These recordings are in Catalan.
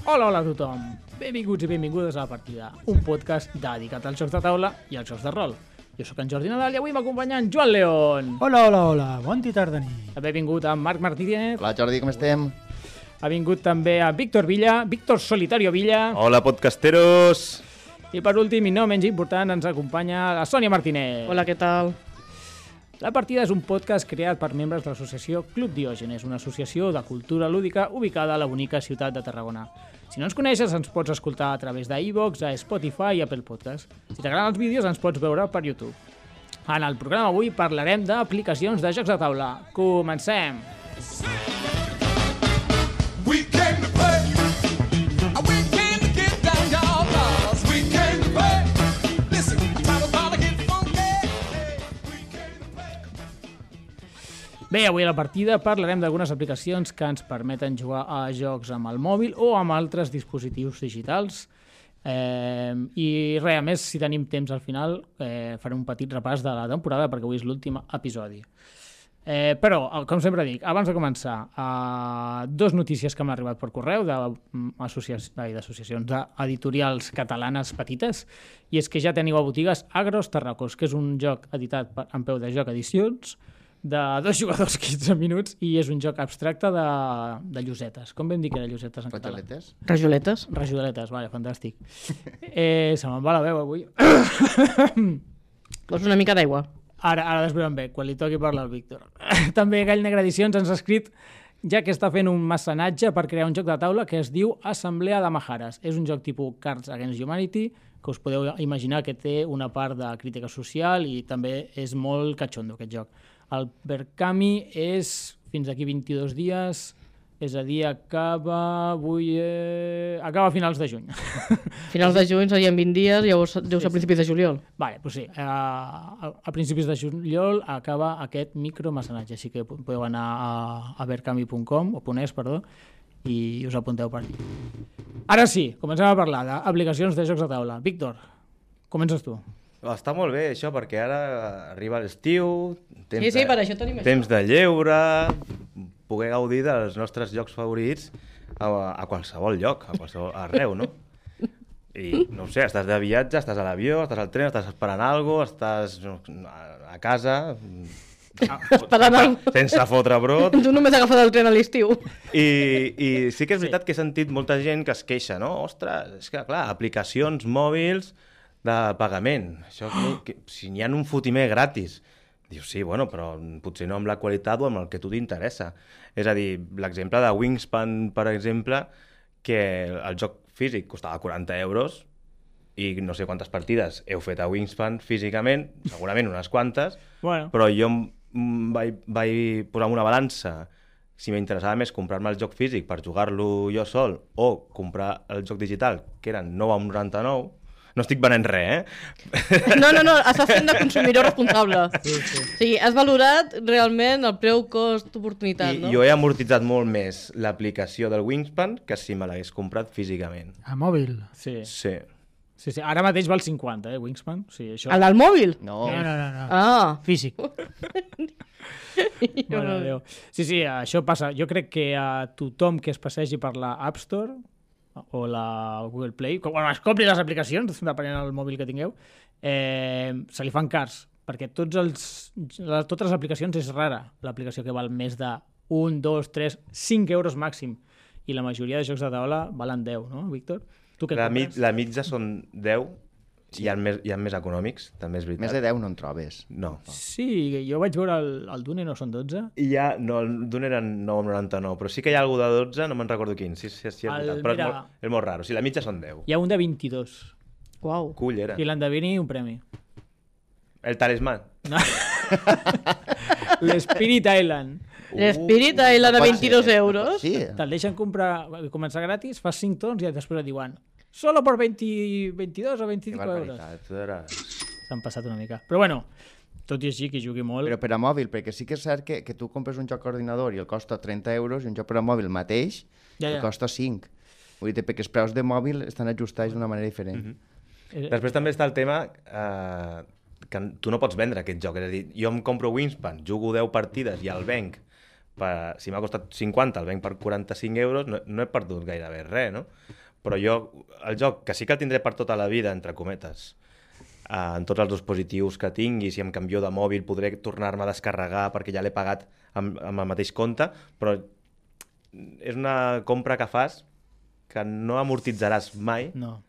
Hola a tothom. Benvinguts i benvingudes a La Partida, un podcast dedicat als jocs de taula i als jocs de rol. Jo sóc en Jordi Nadal i avui m'acompanya en Joan León. Hola, bon dia, tarda, nit. També ha vingut en Marc Martínez. Hola Jordi, com estem? Ha vingut també a Víctor Villa, Víctor Solitario Villa. Hola, podcasteros! I per últim, i no menys important, ens acompanya la Sònia Martínez. Hola, què tal? La Partida és un podcast creat per membres de l'associació Club Diògenes, una associació de cultura lúdica ubicada a la bonica ciutat de Tarragona. Si no ens coneixes, ens pots escoltar a través d'iVoox, a Spotify i Apple Podcast. Si t'agraden els vídeos, ens pots veure per YouTube. En el programa avui parlarem d'aplicacions de jocs de taula. Comencem! We came to play. We came to get down, y'all. Cause we came to play. Listen, time to get funky. We came to play. Bé, avui a La Partida parlarem d'algunes aplicacions que ens permeten jugar a jocs amb el mòbil o amb altres dispositius digitals. I res, a més, si tenim temps al final, farem un petit repàs de la temporada perquè avui és l'últim episodi. Però, com sempre dic, abans de començar, dos notícies que m'han arribat per correu d'associacions d'editorials catalanes petites, i és que ja teniu a botigues Agros Tarracos, que és un joc editat en peu de joc edicions, de 2 jugadors 15 minuts, i és un joc abstracte de llosetes. Com vam dir que era llosetes en català? Rajoletes? Rajoletes? Rajoletes, vale, fantàstic. Se me'n va la veu avui. Vols una mica d'aigua? Ara desveurem bé, quan li toqui parlar al Víctor. També Gall Negre Edicions ens ha escrit ja que està fent un mecenatge per crear un joc de taula que es diu Assemblea de Majares. És un joc tipus Cards Against Humanity, que us podeu imaginar que té una part de crítica social i també és molt catxondo aquest joc. El Berkami és fins aquí 22 dies, és a dir, acaba a finals de juny. Finals de juny serien 20 dies, llavors deu ser a principis de juliol. Vale, doncs sí, a principis de juliol acaba aquest micromecenatge, així que podeu anar a berkami.com, o .es, perdó, i us apunteu per allà. Ara sí, comencem a parlar d'aplicacions de jocs de taula. Víctor, comences tu. Està molt bé això, perquè ara arriba l'estiu, Sí, per això tenim això. temps de lleure, poder gaudir dels nostres llocs favorits a qualsevol lloc, a qualsevol arreu, no? I, no ho sé, estàs de viatge, estàs a l'avió, estàs al tren, estàs esperant alguna cosa, estàs a casa... Esperant alguna sense fotre brot. Tu només has agafat el tren a l'estiu. I sí que és veritat que he sentit molta gent que es queixa, no? Ostres, és que, clar, aplicacions mòbils de pagament. Això, si n'hi ha un fotimer gratis. Dius, sí, bueno, però potser no amb la qualitat o amb el que a tu t'interessa. És a dir, l'exemple de Wingspan, per exemple, que el joc físic costava 40 euros i no sé quantes partides heu fet a Wingspan físicament, segurament unes quantes, Bueno. però jo vaig posar en una balança si m'interessava més comprar-me el joc físic per jugar-lo jo sol o comprar el joc digital, que eren 9,99. No estic venent res, No, estàs fent de consumidor responsable. Sí. O sigui, has valorat realment el preu cost-oportunitat, no? Jo he amortitzat molt més l'aplicació del Wingspan que si me l'hagués comprat físicament. A mòbil. Sí. Sí. Sí, ara mateix val 50, Wingspan. Sí, això... El del mòbil? No. No. Ah. Físic. Mare de Déu. Sí, això passa. Jo crec que a tothom que es passegi per la App Store o la Google Play, quan es compri les aplicacions, depenent del mòbil que tingueu, se li fan cars, perquè totes les aplicacions és rara l'aplicació que val més de 1, 2, 3, 5 euros màxim, i la majoria de jocs de taula valen 10, no, Víctor? Tu què compres? La mitja són 10, sí. Hi ha més econòmics, també és veritat. Més de 10 no en trobes. No. Sí, jo vaig veure el Dune, no són 12? No, el d'un era 9,99, però sí que hi ha algú de 12, no me'n recordo quin, sí, és veritat, però és molt raro, o sigui, la mitja són 10. Hi ha un de 22, Uau. Cullera. i l'endevini un premi. El talismàn. No. L'Spirit Island. L'Spirit Island a 22 euros. Sí. Te'l deixen començar gratis, fas 5 torns i després et diuen solo por 22 o 25 euros. S'han passat una mica. Però bueno, tot i així que jugui molt... Però per a mòbil, perquè sí que és cert que tu compres un joc a ordinador i el costa 30 euros i un joc per a mòbil mateix el costa 5. Vull dir, perquè els preus de mòbil estan ajustats d'una manera diferent. Després també està el tema que tu no pots vendre aquest joc. És a dir, jo em compro Wingspan, jugo 10 partides i el venc si m'ha costat 50, el venc per 45 euros, no he perdut gairebé res, no? Però jo, el joc, que sí que el tindré per tota la vida, entre cometes, en tots els dispositius que tingui, si em canvio de mòbil podré tornar-me a descarregar perquè ja l'he pagat amb el mateix compte, però és una compra que fas que no amortitzaràs mai, No.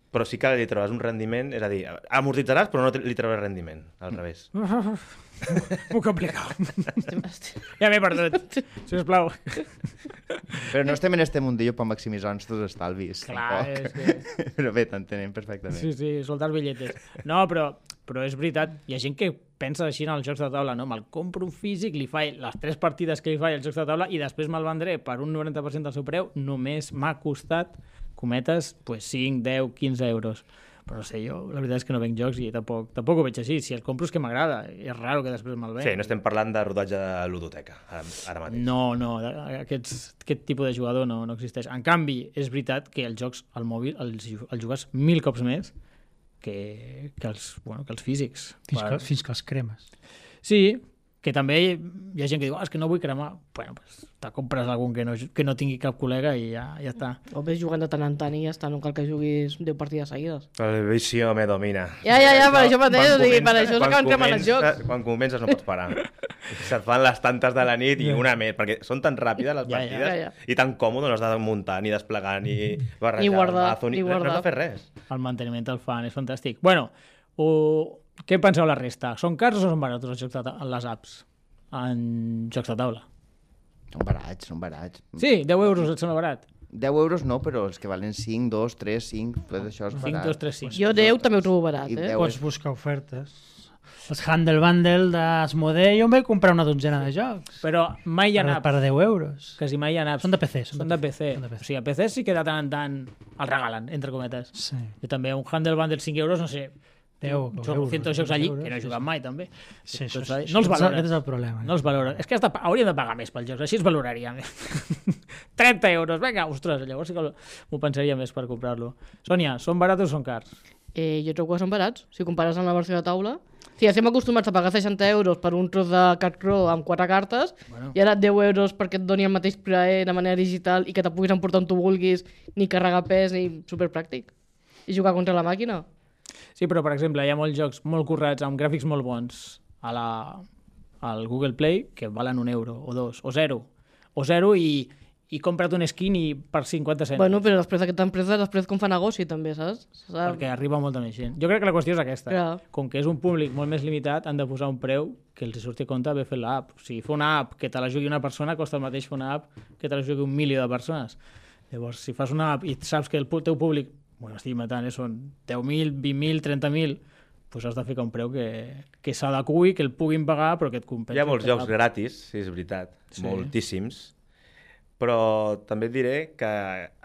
però sí que li trobaràs un rendiment, és a dir, amortitzaràs però no li trobaràs rendiment, al revés. Molt complicat. Ja m'he perdut, sisplau. Però no estem en este mundillo per maximitzar els teus estalvis. Clar, tampoc. és que... Però bé, t'entenem perfectament. Sí, sí, soltar els bitlletes. No, però és veritat, hi ha gent que pensa així en els jocs de taula, no? Me'l compro un físic, li faig les 3 partides que li faig als jocs de taula i després me'l vendré per un 90% del seu preu, només m'ha costat, cometes, pues 5, 10, 15 euros. Però no sé, jo la veritat és que no venc jocs i tampoc ho veig així. Si el compro és que m'agrada, és raro que després me'l venc. Sí, no estem parlant de rodatge de ludoteca, ara mateix. No, aquest tipus de jugador no existeix. En canvi, és veritat que els jocs al mòbil els jugues 1000 cops més que els físics. Fins que els cremes. Sí, que també hi ha gent que diu és que no vull cremar. Bueno, pues te compres algun que no tingui cap col·lega i ja està. O ves jugant de tant en tant i ja està, no cal que juguis 10 partides seguides. El vicio me domina. Ja, per això mateix, o sigui, per això s'acaben cremant els jocs. Quan comences no pots parar. Se't fan les tantes de la nit i una més, perquè són tan ràpides les partides Ja. i tan còmode, no has de muntar, ni desplegar, ni barrejar Ni guardar, el mazo, ni no guardar. has de fer res. El manteniment el fan, és fantàstic. Bueno, què penseu la resta? Són cars o són barats els jocs les apps en jocs de taula? Són barats. Sí, 10 euros et sembla barat? 10 euros no, però els que valen 5, 2, 3, 5, tot això és 5, barat. 2, 3, 5. Jo 10 també ho trobo barat, I eh? 10 Pots buscar ofertes. Els Handle Bundle d'Asmodee, jo em vaig comprar una dotzena de jocs. Però mai hi ha apps. Per 10 euros. Quasi mai hi ha apps. Són de PC. Són de PC. O sigui, a PC sí que de tant en tant el regalen, entre cometes. Sí. Jo també un Handle Bundle 5 euros, no sé, 10 són 100 jocs allí, euros, que no he jugat mai, també. Sí, Tots això, no els valora. Aquest és el problema. No els valora. És que hauríem de pagar més pels jocs, així es valoraria més. 30 euros, vinga, ostres, llavors sí que m'ho pensaria més per comprar-lo. Sònia, són barats o són cars? Jo trobo que són barats, si compares amb la versió de taula. Si estem acostumats a pagar 60 euros per un tros de Cat Crow amb 4 cartes, i ara 10 euros perquè et doni el mateix plaer de manera digital i que te puguis emportar on tu vulguis, ni carregar pes, ni superpràctic. I jugar contra la màquina. Sí, però, per exemple, hi ha molts jocs molt currats, amb gràfics molt bons, al Google Play, que valen 1 euro, o 2, o 0. O 0 i compra't un skin i per 50 cèntims. Bueno, però després d'aquesta empresa, després com fa negoci també, saps? Perquè arriba molta més gent. Jo crec que la qüestió és aquesta. Clar. Com que és un públic molt més limitat, han de posar un preu que els surti a compte haver fet l'app. O sigui, fer una app que te la jugui una persona costa el mateix fer una app que te la jugui 1 milió de persones. Llavors, si fas una app i saps que el teu públic, bueno, estic matant, són 10.000, 20.000, 30.000, doncs has de ficar un preu que s'adequi, que el puguin pagar, però que et compensi. Hi ha molts jocs gratis, sí, és veritat, moltíssims, però també et diré que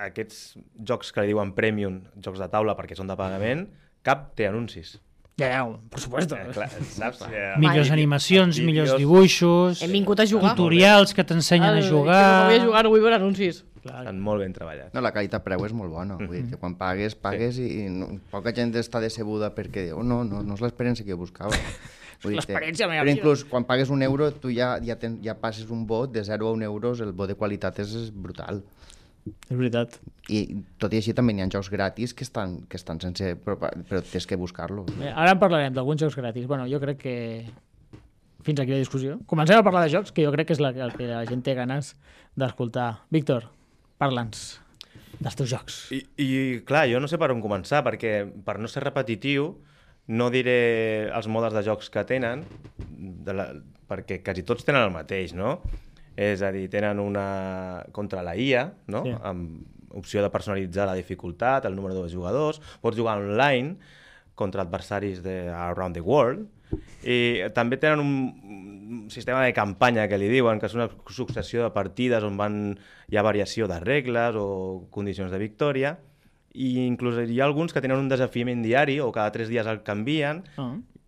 aquests jocs que li diuen premium, jocs de taula perquè són de pagament, cap té anuncis. Ja, per supuesto. Clar, saps? Millors animacions, millors dibuixos, Hem vingut a jugar. tutorials que t'ensenyen a jugar... Que no vull jugar, no vull veure anuncis. Estan molt ben treballats. No, la qualitat-preu és molt bona. Vull dir que quan pagues i no, poca gent està decebuda perquè diu, no és l'experiència que jo buscava. L'experiència meva però vida. inclús quan pagues 1 euro, tu ja passes un vot de 0 a 1 euros, el vot de qualitat és brutal. És veritat. I tot i així també n'hi ha jocs gratis que estan sense... però tens que buscar-lo. Bé, ara en parlarem d'alguns jocs gratis. Bueno, jo crec que fins aquí la discussió. Comencem a parlar de jocs, que jo crec que és el que la gent té ganes d'escoltar. Víctor, parla'ns dels teus jocs. I clar, jo no sé per on començar, perquè per no ser repetitiu no diré els modes de jocs que tenen, perquè quasi tots tenen el mateix, no? És a dir, tenen una contra la IA, no? Sí. Amb opció de personalitzar la dificultat, el número de jugadors, pots jugar online contra adversaris around the world, i també tenen un sistema de campanya que li diuen, que és una successió de partides on hi ha variació de regles o condicions de victòria, i inclús hi ha alguns que tenen un desafiament diari o cada 3 dies el canvien,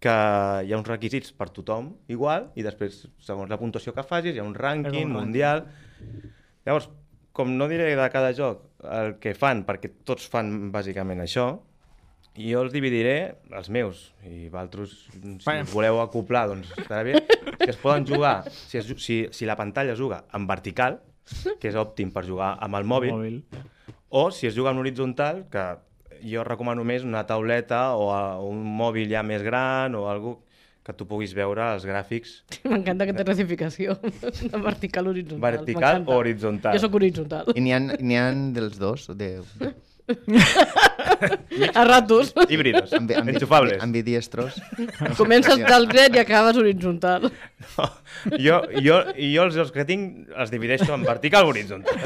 que hi ha uns requisits per tothom igual, i després, segons la puntuació que facis, hi ha un rànquing mundial. Llavors, com no diré de cada joc el que fan, perquè tots fan bàsicament això, Jo els dividiré, els meus, i vosaltres, si Bueno. us voleu acoplar, doncs estarà bé, que es poden jugar, si la pantalla es juga en vertical, que és òptim per jugar amb el mòbil, o si es juga en horitzontal, que jo recomano més una tauleta o un mòbil ja més gran o algo que tu puguis veure els gràfics M'encanta aquesta classificació de vertical horitzontal. vertical M'encanta. o horitzontal. Jo sóc horitzontal. I n'hi ha dels dos, A ratos. Híbridos, enxufables. ambidiestros. Comences del dret i acabes horitzontal. No, jo els que tinc els divideixo en vertical o horitzontal.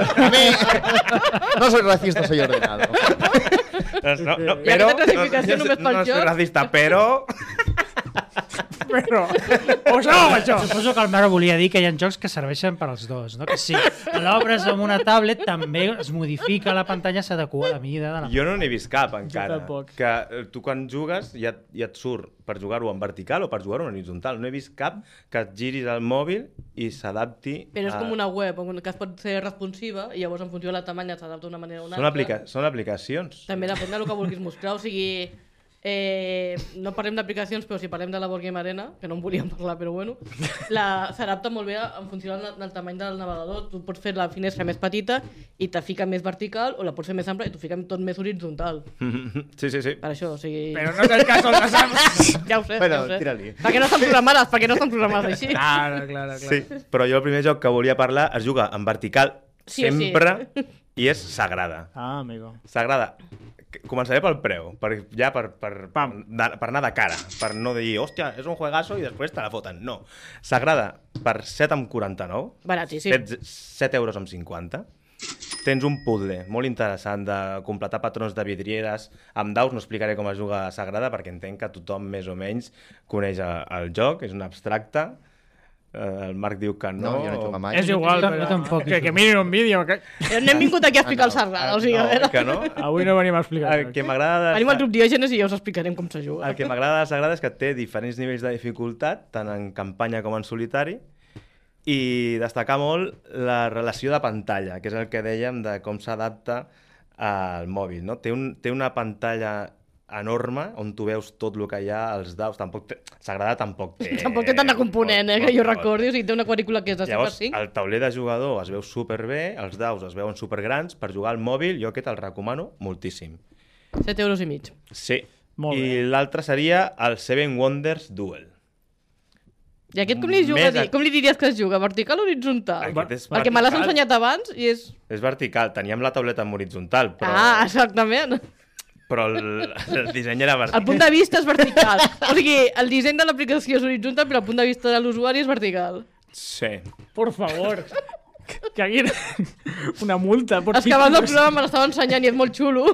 No soy racista, soy ordenado. No, I aquesta classificació només pel no soy joc? racista, però... Però, o això o això. Suposo que el Marc volia dir que hi ha jocs que serveixen per als dos, no? Que si l'obres amb una tablet també es modifica la pantalla, s'adequa a la mida de la... Jo no n'he vist cap encara. tampoc. Que tu quan jugues ja et surt per jugar-ho en vertical o per jugar-ho en horitzontal. No he vist cap que et giris el mòbil i s'adapti... Però és com una web que es pot ser responsiva i llavors en funció de la tamanya s'adapta d'una manera o una altra. Són aplicacions. També depèn del que vulguis mostrar, o sigui... no parlem d'aplicacions, però si parlem de la Board Game Arena, que no en volíem parlar, però bueno, s'adapta molt bé en funció del tamany del navegador. Tu pots fer la finestra més petita i te fica més vertical, o la pots fer més ampla i t'ho fica tot més horitzontal. Sí. Per això, o sigui... Però no és el cas del Sam. Ja ho sé, Bueno, ja ho sé. tira-li. Perquè no estan programades així. Clar. Sí, però jo el primer joc que volia parlar es juga en vertical Sí o sí. sempre i és Sagrada. Ah, amigo. Sagrada. Començaré pel preu, per Pam. anar de cara, per no dir, hòstia, és un juegazo i després te la foten. No. Sagrada, per 7,49. Baratíssim. 7 euros amb 50. Tens un puzzle molt interessant de completar patrons de vidrieres amb daus. No explicaré com es juga a Sagrada perquè entenc que tothom més o menys coneix el joc, és un abstracte. El Marc diu que no. No, jo no he jugat mai. És igual, Jo però tampoc. que mirin un vídeo. Que... No hem vingut aquí a explicar el Sagrada, o sigui, a veure... que no. Avui no venim a explicar. El que m'agrada Venim al grup Diògenes i ja us explicarem com se juga. el que m'agrada de Sagrada és que té diferents nivells de dificultat, tant en campanya com en solitari, i destacar molt la relació de pantalla, que és el que dèiem de com s'adapta al mòbil. No? Té una pantalla enorme on tu veus tot el que hi ha, els daus. Sagrada tampoc té... Tampoc té tant de component, que jo recordi. O sigui, té una quadrícula que és de 5x5. El tauler de jugador es veu superbé, els daus es veuen supergrans. Per jugar al mòbil, jo aquest el recomano moltíssim. 7 euros i mig. Sí. Molt I bé. l'altre seria el Seven Wonders Duel. I aquest com li diries que es juga? Vertical o horitzontal? Aquest és Perquè me l'has vertical. ensenyat abans i és... És vertical. Teníem la tauleta en horitzontal, però, Ah, exactament. però el disseny era El vertical. punt de vista és vertical. O sigui, el disseny de l'aplicació és horitzontal, però el punt de vista de l'usuari és vertical. Sí. Por favor. Que aquí una multa. Por És que abans del programa me l'estava ensenyant i és molt xulo.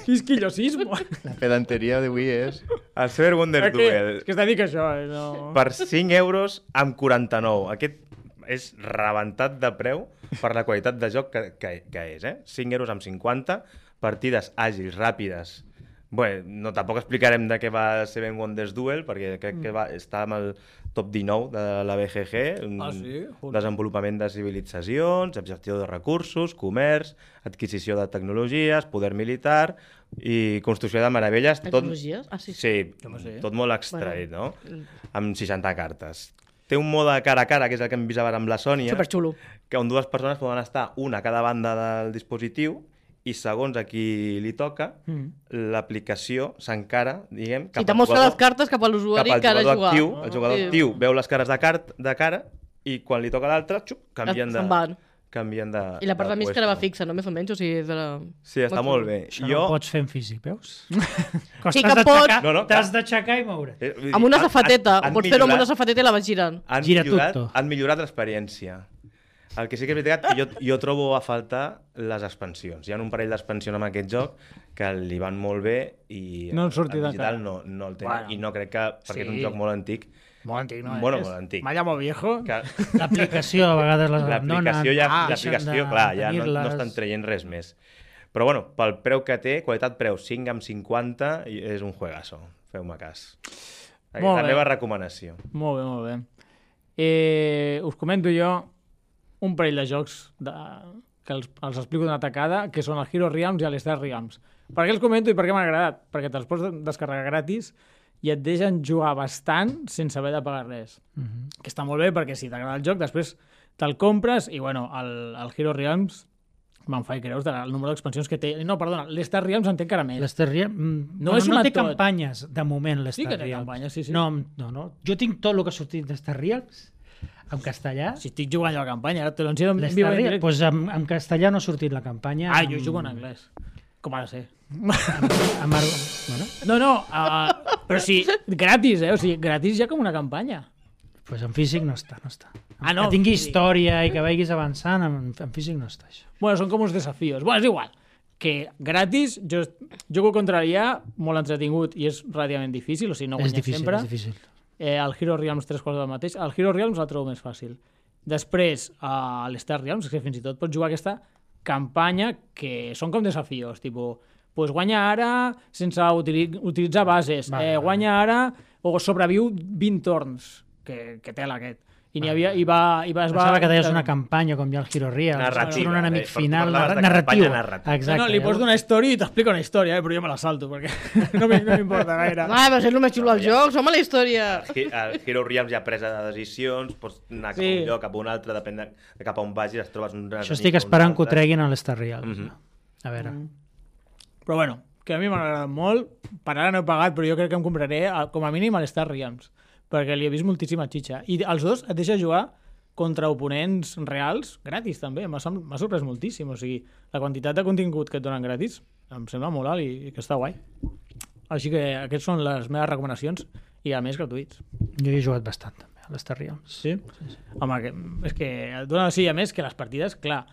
Quisquillosismo. La pedanteria d'avui és... El Seven Wonders Duel. És que està dit que això, no... Per 5 euros amb 49. Aquest és rebentat de preu per la qualitat de joc que és, eh? 5 euros amb 50, partides àgils, ràpides. Bé, no, tampoc explicarem de què va Seven Wonders Duel, perquè crec que està amb el top 19 de la BGG. Ah, sí? Desenvolupament de civilitzacions, gestió de recursos, comerç, adquisició de tecnologies, poder militar i construcció de meravelles. Tecnologies? Ah, sí. Sí, sé. tot molt extret, no? Amb 60 cartes. Té un mode cara a cara, que és el que hem vist ara amb la Sònia, Superxulo. que on dues persones poden estar una a cada banda del dispositiu i segons a qui li toca, l'aplicació s'encara, diguem, Si te mostra les cartes cap a l'usuari que ha de jugar. actiu. El jugador Sí. actiu veu les cares de cara i quan li toca l'altre, canvien de... Se'n van. Canvien de... I la part de mig que era puesto. fixa, no? Més o menys, o sigui, és de la... Sí, està molt bé. Això no ho pots fer en físic, veus? Sí que pots. T'has d'aixecar i moure. Amb una safateta. Pots fer-ho amb una safateta i la vas girant. Gira tutto. Han millorat l'experiència. El que sí que és veritat que jo trobo a faltar les expansions. Hi ha un parell d'expansions amb aquest joc que li van molt bé i No en surti el de digital cara. no el té. Bueno. I no crec que, perquè és un Sí. joc molt antic, Molt antic, no Bueno, és? molt antic. Me llamo viejo. que L'aplicació a vegades les abandonen. l'aplicació, clar, ja no tenir-les. estan traient res més. Però bueno, pel preu que té, qualitat-preu 5 amb 50, és un juegazo. Feu-me cas. Molt La bé. meva recomanació. Molt bé, molt bé. Us comento jo un parell de jocs que els explico d'una tacada, que són el Hero Realms i l'Star Realms. Per què els comento i per què m'ha agradat? Perquè te'ls pots descarregar gratis i et deixen jugar bastant sense haver de pagar res. Que està molt bé perquè si t'agrada el joc, després te'l compres i, bueno, el Hero Realms me'n faig creus del número d'expansions que té. No, perdona, l'Star Realms en té encara més. L'Star Realms... No No, és no una té tot. campanyes, de moment, l'Star Sí que té Realms. campanyes, sí, sí. No. Jo tinc tot el que ha sortit d'Star Realms, en castellà. Si estic jugant jo a la campanya, ara te lo enseño en L'Star vivo en Realms, directe. pues en castellà no ha sortit la campanya. Ah, jo jugo en anglès. Com ha de ser. Bueno, No, però sí, gratis, O sigui, gratis ja com una campanya. pues en físic no està. Ah, no, que tingui físic. història i que vagis avançant, en físic no està això. Bueno, són com uns desafíos. Bueno, és igual. Que gratis, jo jugo contra l'IA, molt entretingut i és relativament difícil, o sigui, no És guanyes difícil, sempre. és difícil. El Hero Realms 3 quarts del mateix. El Hero Realms el trobo més fàcil. Després, a l'Star Realms, que fins i tot pots jugar aquesta campanya que són com desafios, tipus, pues guanya ara sense utilitzar bases, Vale. guanya ara o sobreviu 20 torns, que tela aquest. I n'hi havia, i va, es va... Pensava que deies una campanya com hi ha el Hero Realms, Narrativa, un enemic per final, parlaves de narratiu. campanya narrativa. Exacte. No, li pots donar història i t'explica una història, però jo me la salto, perquè no m'importa gaire. Ah, però és el més xulo dels jocs, home, la història. El Hero Realms hi ha presa de decisions, pots anar cap a Sí. un lloc, cap a un altre, depèn de cap a on vagis, et trobes un... Això estic esperant que ho treguin a l'Star Realms. A veure. Però bueno, que a mi m'ha agradat molt. Per ara no he pagat, però jo crec que em compraré com a mínim a l'Star Realms, perquè li he vist moltíssima xitxa. I els dos et deixa jugar contra oponents reals, gratis també. M'ha sorprès moltíssim. O sigui, la quantitat de contingut que et donen gratis em sembla molt alt i que està guai. Així que aquests són les meves recomanacions i a més gratuïts. Jo hi he jugat bastant també a l'Star Realms. Sí? Home, és que et dona sí, a més que les partides, clar,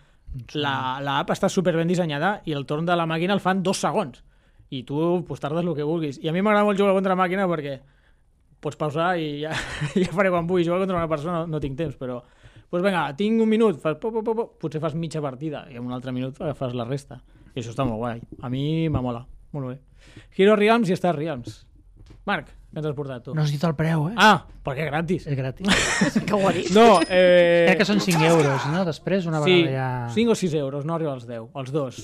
l'app està super ben dissenyada i el torn de la màquina el fan 2 segons i tu pues, tardes el que vulguis. I a mi m'agrada molt jugar contra màquina perquè pots pausar i ja, ja faré quan vull. Jugar contra una persona no tinc temps, però pues vinga, tinc un minut, fas potser fas mitja partida i en un altre minut fas la resta. I això està molt guai. A mi m'amola. Molt bé. Hero Realms i Star Realms. Marc, què ens has portat tu? No has dit el preu, eh? Ah, perquè gratis. És gratis. Que ho ha dit. No, Crec que són 5 euros, no? Després, una sí, vegada ja... 5 o 6 euros, no arriba als 10, els dos.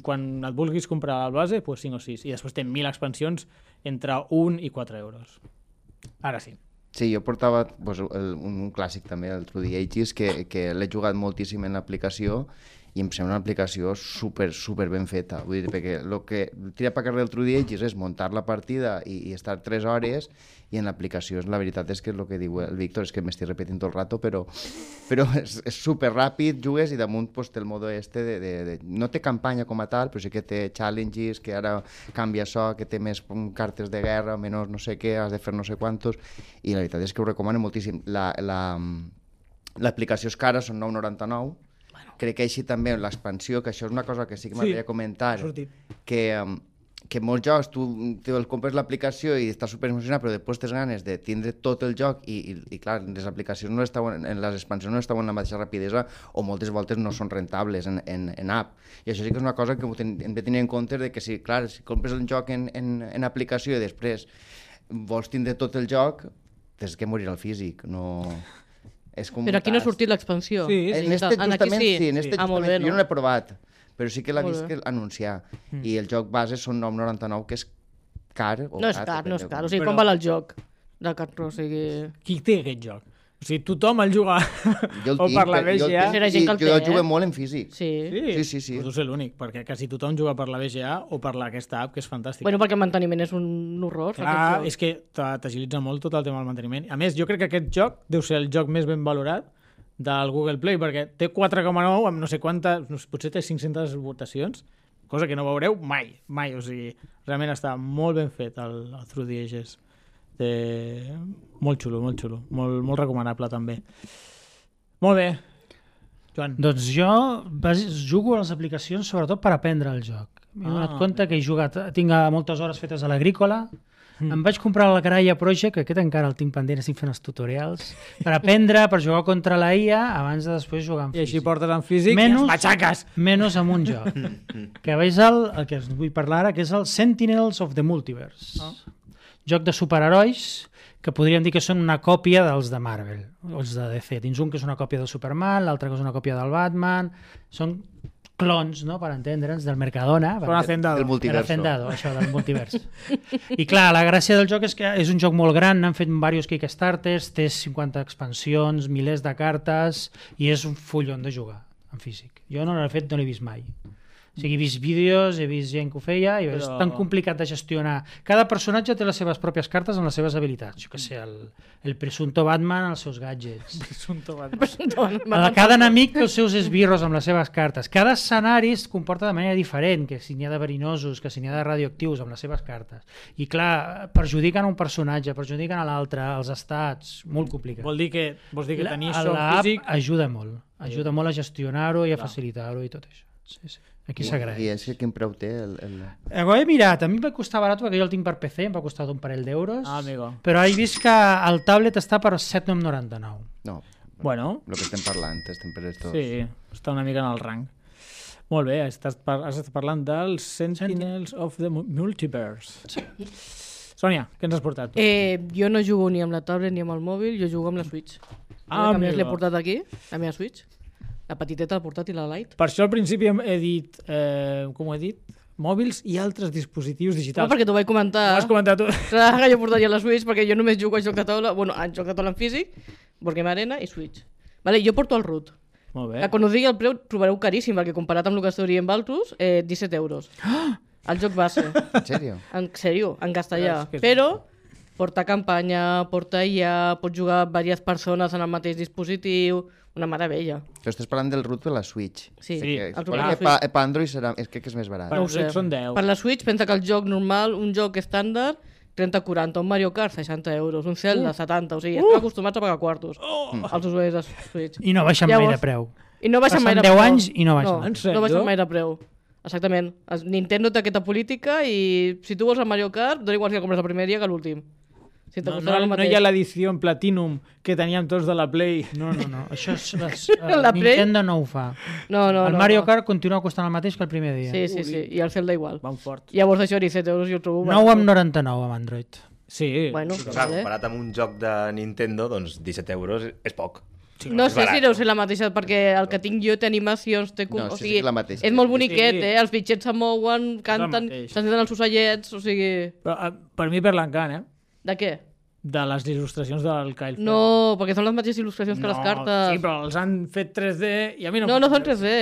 Quan et vulguis comprar el base, pues 5 o 6. I després té 1.000 expansions entre 1 i 4 euros. Ara sí. Sí, jo portava pues, un clàssic també, el True the Ages, que l'he jugat moltíssim en l'aplicació i em sembla una aplicació super ben feta. Vull dir, perquè el que tira per carrer el True the Ages és muntar la partida i estar 3 hores i en l'aplicació la veritat és que és el que diu el Víctor, és que m'estic repetint tot el rato, però és super ràpid, jugues i damunt pues, té el modo este no té campanya com a tal, però sí que té challenges, que ara canvia això, que té més cartes de guerra, menys no sé què, has de fer no sé quantos, i la veritat és que ho recomano moltíssim. L'aplicació és cara, són 9,99, crec que així també l'expansió, que això és una cosa que sí que m'agradaria comentar, que molts jocs tu el compres l'aplicació i estàs super emocionat, però després tens ganes de tindre tot el joc i clar, les aplicacions no estaven, en les expansions no estaven amb la mateixa rapidesa o moltes voltes no són rentables en app. I això sí que és una cosa que hem de tenir en compte de que si, clar, si compres el joc en aplicació i després vols tindre tot el joc, tens que morir al físic, no... Però aquí no ha sortit l'expansió. Sí, En este justament sí, en este molt justament, bé, jo no l'he provat, però sí que l'he Molt vist bé. que anunciar. I el joc base són 9,99, que és car. O No és car, no és car. O sigui, Però- quan val el joc de Cartro? O sigui... Qui té aquest joc? O sigui, tothom el juga Jo el o tinc, per la però jo el VGA. tinc Era gent que el i jo té, el jugo eh? molt en físic. Sí. Sí. Pues deu ser l'únic, perquè quasi tothom juga per la VGA o per aquesta app, que és fantàstica. Bueno, perquè el manteniment és un horror. Clar, aquest joc. és que t'agilitza molt tot el tema del manteniment. A més, jo crec que aquest joc deu ser el joc més ben valorat del Google Play, perquè té 4,9 amb no sé quantes, potser té 500 votacions, cosa que no veureu mai. O sigui, realment està molt ben fet el Through the Ages. Molt xulo, molt recomanable també. Molt bé, Joan. Doncs jo jugo a les aplicacions sobretot per aprendre el joc. M'he donat compte que he jugat, tinc moltes hores fetes a l'agrícola, em vaig comprar la Graya Project, que aquest encara el tinc pendent, estic fent els tutorials, per aprendre, per jugar contra la IA, abans de després jugar en I així físic. portes en físic i Menys- els matxaques. Menys amb un joc. Que veig el que us vull parlar ara, que és el Sentinels of the Multiverse. Joc de superherois que podríem dir que són una còpia dels de Marvel, o els de DC. Dins un que és una còpia de Superman, l'altre que és una còpia del Batman. Són clons, no?, per entendre'ns, del Mercadona. Con Hacendado. El El multiverso. Hacendado, això del multivers. I clar, la gràcia del joc és que és un joc molt gran, n'han fet diversos Kickstarters, té 50 expansions, milers de cartes, i és un fullon de jugar en físic. Jo no l'he fet, no l'he vist mai. O sigui, he vist vídeos, he vist gent que ho feia, i és tan complicat de gestionar. Cada personatge té les seves pròpies cartes amb les seves habilitats. Jo què sé, el presunto Batman, els seus gadgets. Cada enemic té els seus esbirros amb les seves cartes. Cada escenari es comporta de manera diferent, que si n'hi ha de verinosos, que si n'hi ha de radioactius amb les seves cartes. I clar, perjudiquen un personatge, perjudiquen a l'altre, els estats, molt complicat. Vols dir que tenir això L'app físic... ajuda molt a gestionar-ho i a facilitar-ho i tot això. Sí, sí. Aquí s'agraeix. I és que quin preu té? Ho he mirat, a mi em va costar barat perquè jo el tinc per PC, em va costar un parell d'euros, amigo. però he vist que el tablet està per 7,99. No, Bueno, el que estem parlant, estem per estos. sí, està una mica en el rang. Molt bé, has estat parlant dels Sentinels of the Multiverse. Sònia, què ens has portat? Tu? Jo no jugo ni amb la tablet ni amb el mòbil, jo jugo amb la Switch. Ah, A més l'he amigo. portat aquí, la meva Switch. La petiteta, la portàtil, la Lite. Per això al principi he dit, com ho he dit? Mòbils i altres dispositius No, digitals. perquè t'ho vaig Ho comentar. has comentat tu. Clar que jo portaria la Switch perquè jo només jugo a joc de taula, bueno, a joc de taula en físic, Boardgame Arena i Switch. Vale, jo porto el root. Molt bé. Que quan us digui el preu trobareu caríssim, perquè comparat amb el que esteu dient altres, 17 euros. El joc base. En sèrio? En sèrio, en castellà. És que és- Però porta campanya, porta IA, pots jugar diverses persones en el mateix dispositiu, una meravella. Tu estàs parlant del root de la Switch. Sí, Sí, el root de Perquè la Switch. per Android serà, crec que és més barat. Per No ho Android sé. són 10. Per la Switch, pensa que el joc normal, un joc estàndard, 30-40, un Mario Kart, 60 euros, un Zelda, 70, o sigui, estem acostumats a pagar quartos als usuaris de Switch. I no baixen mai de Llavors, preu. I no baixen Passen mai de 10 preu. anys i no baixen. No, En sèrio? no baixen mai de preu. Exactament. Nintendo té aquesta política i si tu vols el Mario Kart, dona igual si el compres el primer dia que l'últim. Si te No, costarà el no mateix. hi ha l'edició en Platinum que teníem tots de la Play. No. Això és... La Play? Nintendo no ho fa. No, El no. Mario no. Kart continua costant el mateix que el primer dia. Sí. I el Zelda igual. Van fort. Llavors això, 17 euros, jo ho trobo... 9,99 amb Android. Sí. Bueno, Clar, vale. comparat amb un joc de Nintendo, doncs 17 euros és poc. No és sé si barat. deu ser la mateixa, perquè el que tinc jo té animacions, té... No, o sí, sigui, sí, és la mateixa. és molt boniquet, Sí. Els bitxets se mouen, canten, mateix. s'encenen els ocellets, o sigui... Però, per mi per l'encant, De què? de les il·lustracions del Kyle Ferrer. No, perquè són les mateixes il·lustracions que les cartes. Sí, però els han fet 3D i a mi no... No són 3D,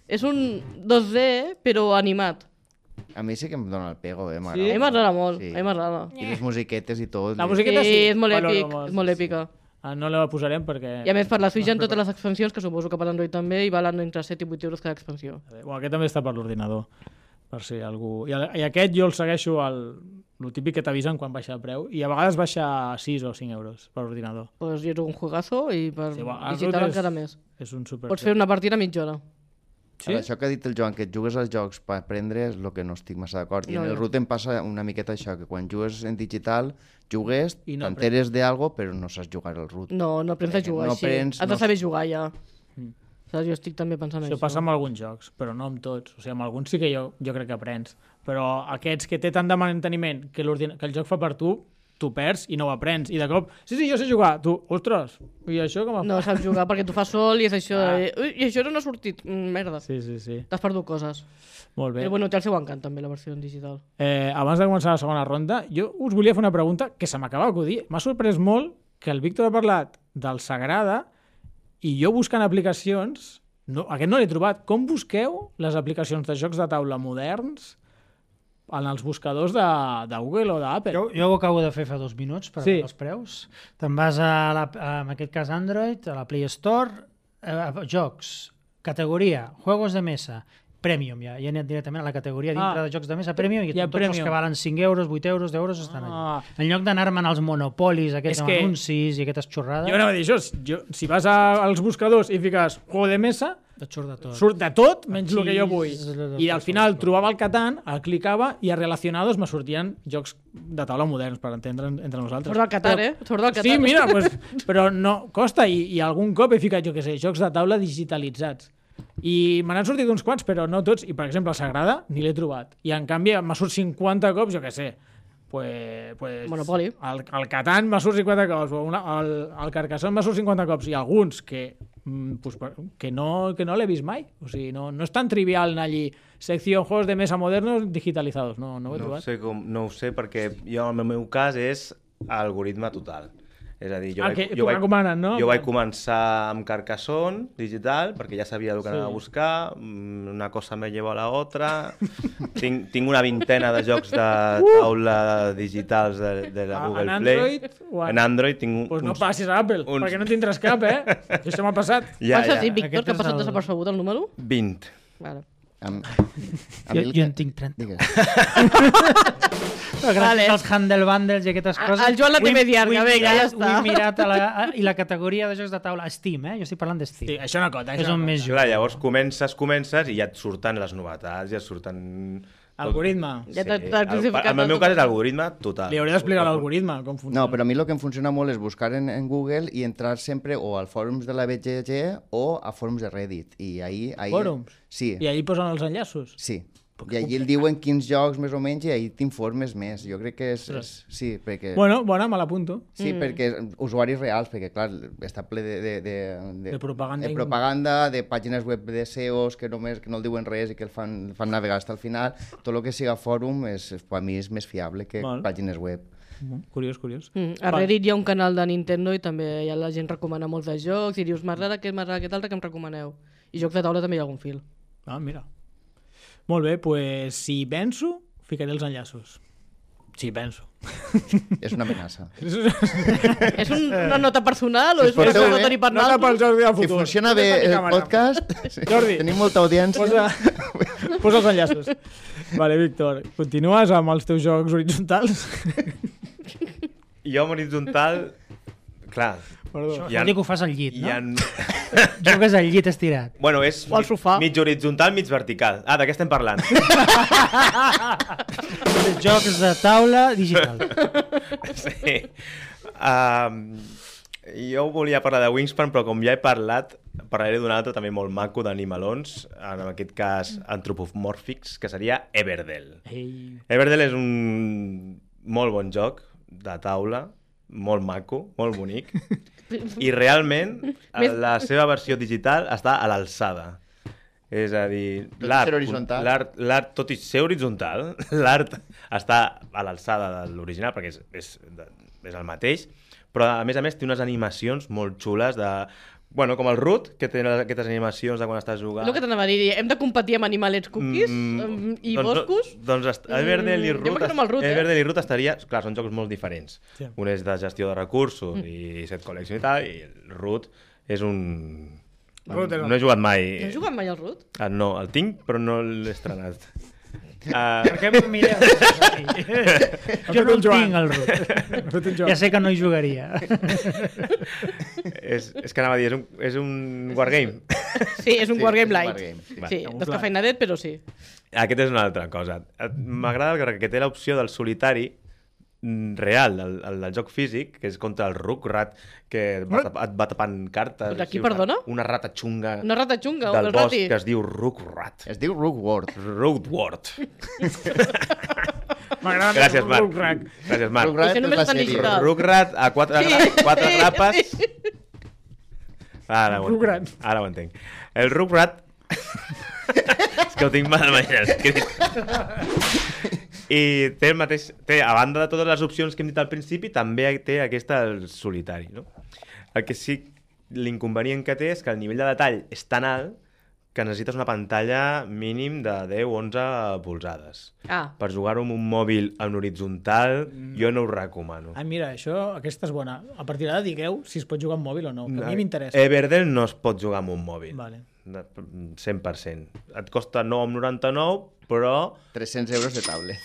és un 2D, però animat. A mi sí que em dona el pego, A m'agrada. mi m'agrada molt, Sí. a mi m'agrada. I les musiquetes i tot. La Sí, musiqueta sí. és molt valoro èpic, molt. és molt èpica. Ah, no la posarem perquè... I a més per la Switch hi ha totes les expansions, que suposo que per Android també, i valen entre 7 i 8 euros cada expansió. Bueno, aquest també està per l'ordinador, per si algú... I aquest jo el segueixo el típic que t'avisen quan baixa el preu, i a vegades baixa a 6 o 5 euros per ordinador. Pues jo és un juegazo i per Sí, bueno, el digital root és- encara més. És un super... Pots fer una partida a mitja hora. Sí? Això que ha dit el Joan, que et jugues als jocs per aprendre és el que no estic massa d'acord. I No, en el no. root em passa una miqueta això, que quan jugues en digital, jugues, I no t'enteres d'algo, però no saps jugar al root. No aprens a jugar No així. aprens, Has de no- saber jugar ja. Saps? Jo estic també pensant Això passa amb alguns jocs, però no amb tots. O sigui, amb alguns sí que jo crec que aprens. Però aquests que té tant de manteniment que el joc fa per tu perds i no ho aprens. I de cop, sí, jo sé jugar. Tu, ostres, i això com a... No saps jugar perquè tu fas sol i és això... Ui, i això no ha sortit. Merda. Sí. T'has perdut coses. Molt bé. Però bueno, té el seu encant també, la versió en digital. Abans de començar la segona ronda, jo us volia fer una pregunta que se m'acaba d'acudir. M'ha sorprès molt que el Víctor ha parlat del Sagrada i jo buscant aplicacions, aquest no l'he trobat. Com busqueu les aplicacions de jocs de taula moderns en els buscadors de Google o d'Apple? Jo ho acabo de fer fa 2 minuts per veure els preus. Te'n vas en aquest cas Android, a la Play Store, jocs, categoria, juegos de mesa, Premium, ja he anat directament a la categoria dintre de jocs de mesa Premium i hi ha tots els Premium. que valen 5 euros, 8 euros, 10 euros estan allà. Ah. En lloc d'anar-me'n als monopolis, aquests És que- anuncis i aquestes xorrades, Jo anava a dir això, si vas als buscadors i fiques juego de mesa, et surt de tot. surt de tot menys el que jo vull. Xis, I al final trobava el Catan, el clicava i a relacionados me sortien jocs de taula moderns per entendre entre nosaltres. Surt del Qatar, Surt del Qatar. Sí, mira, pues, però no, costa i algun cop he ficat, jo què sé, jocs de taula digitalitzats. I me n'han sortit uns quants, però no tots. I, per exemple, el Sagrada ni l'he trobat. I, en canvi, m'ha sortit 50 cops, jo què sé, pues, Monopoly. El Catan m'ha sortit 50 cops, o el Carcassonne m'ha sortit 50 cops, i alguns que pues, que no l'he vist mai. O sigui, no és tan trivial anar allí. Secció juegos de mesa modernos digitalizados. No ho he trobat. No ho sé perquè jo, en el meu cas, és algoritme total. És a dir, que t'ho recomanen, no? Jo vaig començar amb Carcassonne digital, perquè ja sabia el que anava a buscar, una cosa me lleva a la otra, tinc una vintena de jocs de taula digitals de la Google Play. En Android tinc Pues no passis a Apple, perquè no tindràs cap, Això m'ha passat. Quants has dit, Víctor, que ha passat desapercebut el número? 20. Vale. Jo en tinc 30. Digues. Gràcies als Handle Bundles i aquestes coses. El Joan la té més llarga, vinga, ja està. Ho he mirat i la categoria de jocs de taula, Steam, Jo estic parlant de Steam. Sí, això no cota. És on més Clar, llavors comences i ja et surten les novetats, ja et surten... Algoritme. Ja t'ha crucificat En el meu cas és algoritme total. Li hauria d'explicar l'algoritme, com funciona. No, però a mi el que em funciona molt és buscar en Google i entrar sempre o al fòrums de la BGG o a fòrums de Reddit. I ahí Fòrums? Sí. I allí posen els enllaços? Sí. I allí el diuen quins jocs més o menys i ahí t'informes més. Jo crec que és sí, perquè... Bueno, bona, me l'apunto. Sí, perquè usuaris reals, perquè clar, està ple De propaganda. de propaganda, de pàgines web de SEOs que no el diuen res i que el fan navegar fins al final. Tot el que siga fòrum per mi és més fiable que pàgines web. Curiós. A Reddit hi ha un canal de Nintendo i també la gent recomana molts de jocs i dius, m'agrada aquest altre que em recomaneu. I jocs de taula també hi ha algun fil. Ah, mira. Molt bé, pues si penso, ficaré els enllaços. Si penso. És una amenaça. És una nota personal o és una porteu nota bé, per Nota pel joc del Si futur. funciona bé el podcast, Jordi, tenim molta audiència. posa els enllaços. Vale, Víctor, continues amb els teus jocs horitzontals? Jo amb horitzontal, clar, Perdó. Això vol dir que ho fas al llit, hi no? ha... Jugues al llit estirat. Bueno, és O al sofà. mig horitzontal, mig vertical. Ah, de què estem parlant? Jocs de taula digital. Sí. Jo volia parlar de Wingspan, però com ja he parlat, parlaré d'un altre també molt maco d'animalons, en aquest cas antropomòrfics, que seria Everdell. Ei. Everdell és un molt bon joc de taula, molt maco, molt bonic, i realment la seva versió digital està a l'alçada. És a dir, Tot i ser horitzontal. l'art, tot i ser horitzontal, l'art està a l'alçada de l'original, perquè és el mateix, però a més té unes animacions molt xules de... Bueno, com el Root, que té aquestes animacions de quan estàs jugant. No que t'anava a dir, hem de competir amb animalets cookies i boscos? Doncs Everdell i jo Root, m'agrada amb el Root, Everdell i Root estaria... Clar, són jocs molt diferents. Sí. Un és de gestió de recursos i set collection i tal, i el Root és un... Root és No he jugat mai. No has jugat mai al Root? No, el tinc, però no l'he estrenat. Per què em mireu? Jo no el tinc, el Root. Ja sé que no hi jugaria. És que anava a dir, és un wargame. Sí, és un wargame és un light. wargame, sí. Sí, descafeinadet, però sí. Aquest és una altra cosa. M'agrada que té l'opció del solitari real, el del joc físic, que és contra el Rugrat, que et va tapant cartes. De qui, Sí, perdona? Una rata xunga Una rata xunga, del un bosc rati. que es diu Rugrat. Es diu Rookworld. Roadward. M'agrada Gràcies, Marc. Rugrat. Gràcies, Marc. Rugrat Això només és la està en sèrie. digital. Rugrat a quatre grapes. Ara ho entenc. El Rugrat... És que ho tinc mal escrit. I té el mateix... a banda de totes les opcions que hem dit al principi, també té aquesta el solitari, no? El que sí, l'inconvenient que té és que el nivell de detall és tan alt que necessites una pantalla mínim de 10-11 polzades. Ah, Per jugar-ho amb un mòbil en horitzontal, jo no ho recomano. Ah, mira, aquesta és bona. A partir d'ara digueu si es pot jugar amb mòbil o no, que a mi m'interessa. Everdell no es pot jugar amb un mòbil. Vale. 100%. Et costa 9,99, però 300 euros de tablet.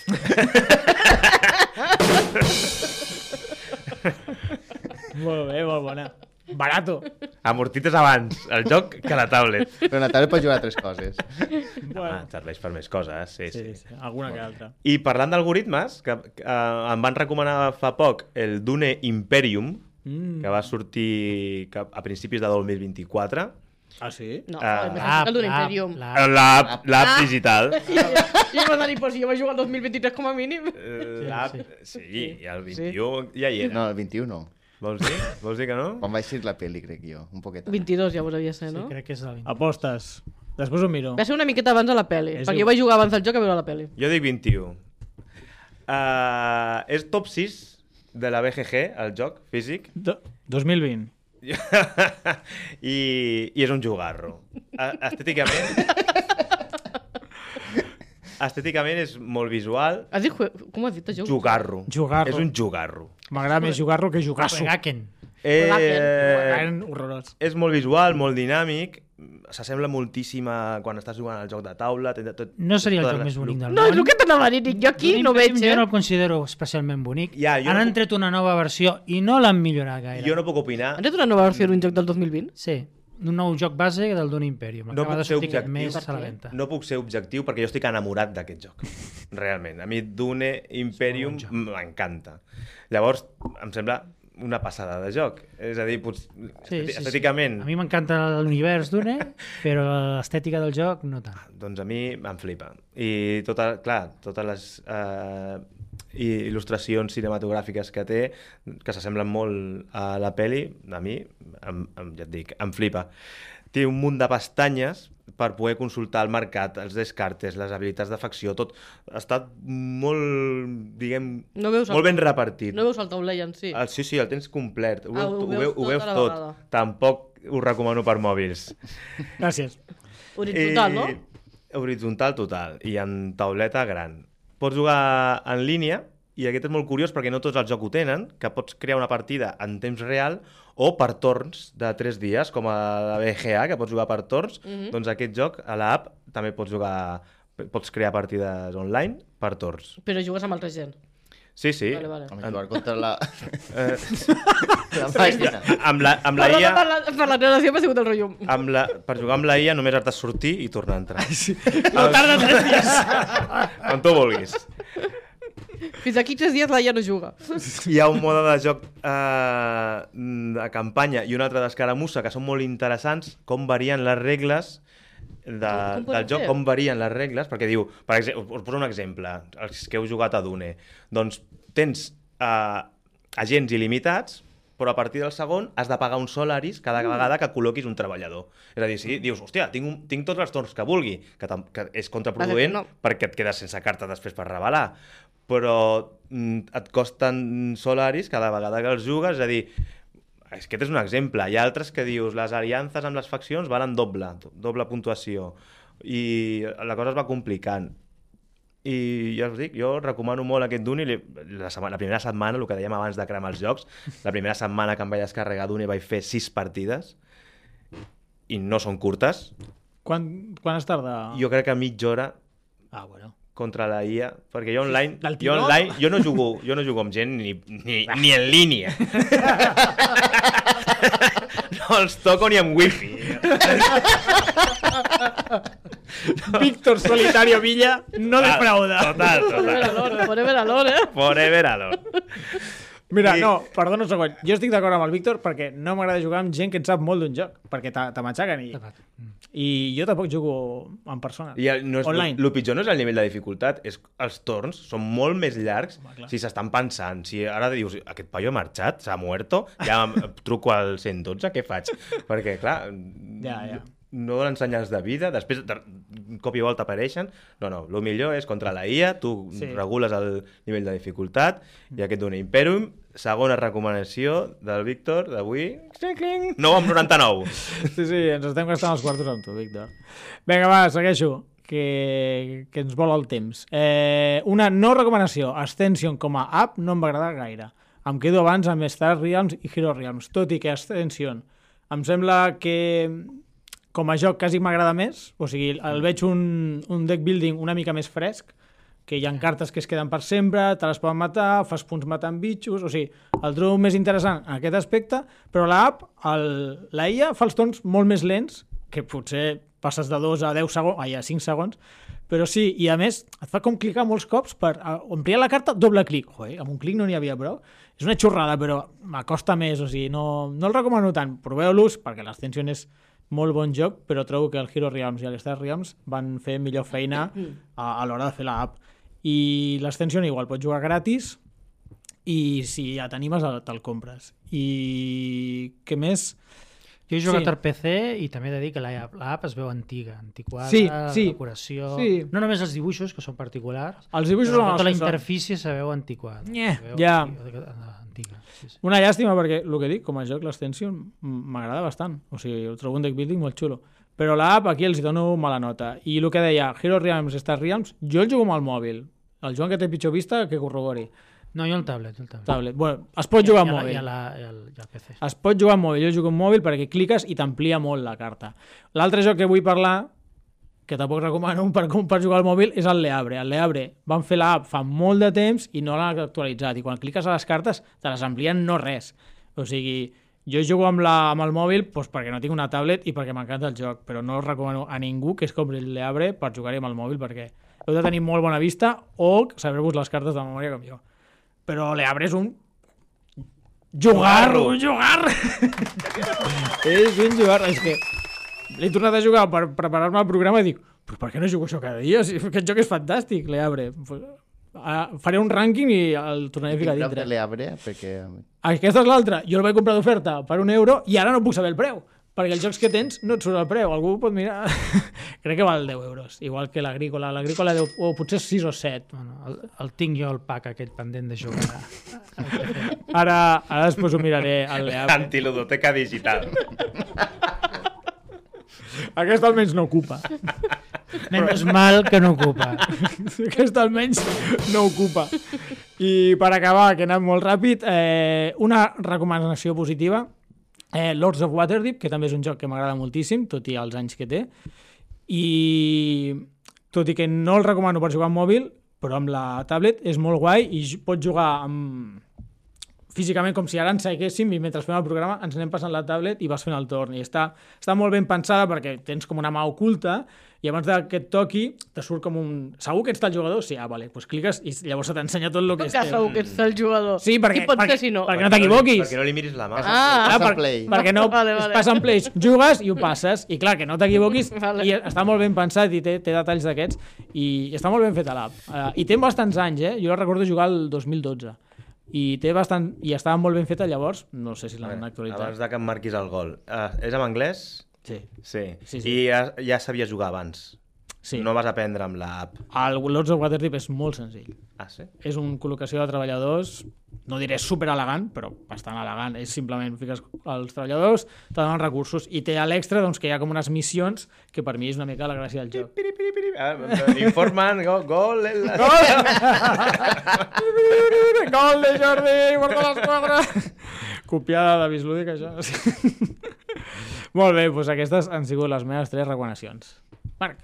Molt bé, molt bona. Barato. amortites abans el joc que la tablet. Però la tablet pot jugar a altres coses. Ah, serveix per més coses, sí. Sí, alguna que altra. I parlant d'algoritmes, que em van recomanar fa poc el Dune Imperium, que va sortir a principis de 2024. Ah, sí? no, el d'un Imperium. L'app digital. Jo m'ha de dir, pues, jo vaig jugar el 2023 com a mínim. L'app, sí, i el 21 ja hi era. No, el 21 no. Vols dir? Vols dir que no? Quan va eixir la pel·li, crec jo, un poquet. 22 ja devia ser, Sí, no? crec que és el 20. Apostes. Després ho miro. Va ser una miqueta abans de la pel·li, És perquè un- jo vaig jugar abans del joc a veure la pel·li. Jo dic 21. És top 6 de la BGG, el joc físic, 2020. i és un jugarro. Estèticament és molt visual. Has dit, com has dit, això? Jugarro. Jugarro. És un jugarro. M'agrada més jugar-lo que jugar-s'ho. Gaken. Horrorós. És molt visual, molt dinàmic, s'assembla moltíssim a quan estàs jugant al joc de taula. No seria el joc més bonic del No, és món. el que t'anava a dir, jo aquí no veig, Jo no el considero especialment bonic. Ja, jo Han no puc- tret una nova versió i no l'han millorat gaire. Jo no puc opinar. Han tret una nova versió d'un joc del 2020? Sí, un nou joc base del Dune Imperium. No Acaba puc de ser sortir aquest objectiu. mes a la venda. No puc ser objectiu perquè jo estic enamorat d'aquest joc. Realment. A mi Dune Imperium m'encanta. Llavors, em sembla una passada de joc. És a dir, estèticament... A mi m'encanta l'univers Dune, però l'estètica del joc no tant. Doncs a mi em flipa. I totes les il·lustracions cinematogràfiques que té, que s'assemblen molt a la peli, a mi, ja et dic, em flipa. Té un munt de pestanyes per poder consultar el mercat, els descartes, les habilitats de facció, tot està molt, diguem, No veus molt ben repartit. No veus el tauler en si? Sí, el tens complet. Ho veus tot a la tot. vegada. Tampoc ho recomano per mòbils. Gràcies. Horitzontal, no? Horitzontal total, i en tauleta gran. Pots jugar en línia, i aquest és molt curiós perquè no tots els jocs ho tenen, que pots crear una partida en temps real o per torns de 3 dies, com a la BGA, que pots jugar per torns. Doncs aquest joc, a l'app, també pots crear partides online per torns. Però jugues amb altra gent. Sí, sí. Vale. Vam jugar contra la... la màquina. Amb la Perdona IA... per la relació, m'ha sigut el rotllo. Per jugar amb la IA només has de sortir i tornar a entrar. No tarda 3 dies. Quan tu vulguis. Fins aquí 3 dies la ja no juga. Hi ha un mode de joc de campanya i un altre d'escaramussa que són molt interessants, com varien les regles del joc, com varien les regles, perquè diu, per exemple, us poso un exemple, els que heu jugat a Dune, doncs tens agents il·limitats, però a partir del segon has de pagar uns solaris cada vegada que col·loquis un treballador. És a dir, si dius, hòstia, tinc tots els torns que vulgui, que és contraproduent No. perquè et quedes sense carta després per revelar, però et costen solaris cada vegada que els jugues, és a dir, aquest és un exemple. Hi ha altres que dius, les aliances amb les faccions valen doble puntuació, i la cosa es va complicant. I ja us dic, jo recomano molt aquest Dune. La primera setmana, el que dèiem abans de cremar els jocs, la primera setmana que em vaig descarregar Dune vaig fer 6 partides, i no són curtes. Quan es tarda? Jo crec que mitja hora Ah, bueno. contra la IA, perquè jo online, Del tiró? jo no jugo amb gent ni en línia. No els toco ni amb wifi. Víctor Solitario Villa no defrauda. Total. Forever alone, Forever alone. Mira, no, perdona un segon. Jo estic d'acord amb el Víctor perquè no m'agrada jugar amb gent que en sap molt d'un joc, perquè te matxaquen i jo tampoc jugo en persona. I online. El pitjor no és el nivell de dificultat, és els torns són molt més llargs. Si s'estan pensant, si ara dius, aquest paio ha marxat, s'ha muerto, ja truco al 112, què faig? Perquè, clar, Ja. no donen senyals de vida, després de cop i volta apareixen. No, el millor és contra la IA, tu regules el nivell de dificultat, i aquest Dune Imperium, segona recomanació del Víctor d'avui, 9,99. Sí, ens estem gastant els quartos amb tu, Víctor. Vinga, va, segueixo, que ens vola el temps. Una no recomanació, Ascension com a app no em va agradar gaire. Em quedo abans amb Star Realms i Hero Realms, tot i que Ascension em sembla que com a joc quasi m'agrada més, o sigui, el veig un deck building una mica més fresc, que hi ha cartes que es queden per sempre, te les poden matar, fas punts matant bitxos, o sigui, el trobo més interessant en aquest aspecte, però l'app, la IA fa els torns molt més lents, que potser passes de 2 a 10 segons, a 5 segons, però sí, i a més et fa com clicar molts cops per ampliar la carta, doble clic. Joder, amb un clic no n'hi havia prou. És una xorrada, però m'acosta més, o sigui, no el recomano tant. Proveu-los, perquè l'Ascension és molt bon joc, però trobo que el Hero Realms i el Star Realms van fer millor feina a l'hora de fer l'app. I l'Ascension igual, pots jugar gratis i si ja t'animes te'l compres. I què més? Jo he jugat Sí. al PC i també he de dir que l'app es veu antiga, antiquada, Sí, la sí. decoració... Sí. No només els dibuixos, que són particulars, Els dibuixos però són els tota la que són. interfície se veu antiquada. Nyeh, Se veu ja. Antiga. Sí, sí. Una llàstima perquè, el que dic, com a joc, l'Extension m'agrada bastant. O sigui, ho trobo un deck building molt xulo. Però l'app aquí els hi dono mala nota. I el que deia, Hero Realms, Star Realms, jo el jugo amb el mòbil. El Joan, que té pitjor vista, que corrobori. No, jo el tablet. Tablet. Bueno, es pot jugar amb mòbil. I al PC. Es pot jugar amb mòbil. Jo jugo amb mòbil perquè cliques i t'amplia molt la carta. L'altre joc que vull parlar, que tampoc recomano per jugar al mòbil, és el Leabre. El Leabre van fer l'app fa molt de temps i no l'han actualitzat. I quan cliques a les cartes te les amplien no res. O sigui, jo jugo amb el mòbil doncs perquè no tinc una tablet i perquè m'encanta el joc, però no recomano a ningú que es compri el Leabre per jugar-hi amb el mòbil perquè heu de tenir molt bona vista o saber-vos les cartes de memòria com jo. Però Leabre és un jugar. És un jugar. És que l'he tornat a jugar per preparar-me el programa i dic, però per què no jugo això cada dia? Si aquest joc és fantàstic, Leabre. Faré un rànquing i el tornaré a ficar Preu dintre. de l'Eabre, perquè... Aquesta és l'altra. Jo el vaig comprar d'oferta per €1 i ara no puc saber el preu. Perquè els jocs que tens no et surt el preu. Algú pot mirar... Crec que val €10. Igual que l'Agrícola. L'Agrícola deu... o potser 6 o 7. Bueno, el tinc jo el pack aquell pendent de jugar. Ara després ho miraré al Leabre. Antiludoteca digital. Aquesta almenys no ocupa. Menys mal que no ocupa. Aquesta almenys no ocupa. I per acabar, que he anat molt ràpid, una recomanació positiva. Lords of Waterdeep, que també és un joc que m'agrada moltíssim, tot i els anys que té. I tot i que no el recomano per jugar amb mòbil, però amb la tablet és molt guai i pots jugar físicament com si ara ens seguéssim i mentre fem el programa ens anem passant la tablet i vas fent el torn. I està molt ben pensada perquè tens com una mà oculta i abans que et toqui te surt com un... Segur que ets el jugador? Sí, vale, doncs cliques i llavors se t'ensenya tot el que Que és teu. segur que ets el jugador. Sí, perquè, Qui pot ser si no? perquè no t'equivoquis. Perquè no li miris la mà. Ah, Pass and play. Perquè no Vale, es vale. passa en plays, jugues i ho passes i clar, que no t'equivoquis Vale. i està molt ben pensat i té detalls d'aquests i està molt ben fet a l'app. I té bastants anys, jo la recordo jugar el 2012 i estava molt ben feta llavors, no sé si l'han actualitzat. Abans de que em marquis el gol. És en anglès? Sí. Sí. Sí. I ja sabies jugar abans? Sí. No vas aprendre amb l'app? El Lords of Waterdeep és molt senzill. Ah, sí? És una col·locació de treballadors, no diré super elegant, però bastant elegant. És simplement fiques els treballadors, te donen recursos i té a l'extra doncs, que hi ha com unes missions que per mi és una mica la gràcia del joc. Informen, gol... Gol de Jordi, porta l'esquadra! Copiada de Bislúdic, això. Molt bé, doncs aquestes han sigut les meves 3 recomanacions. Marc.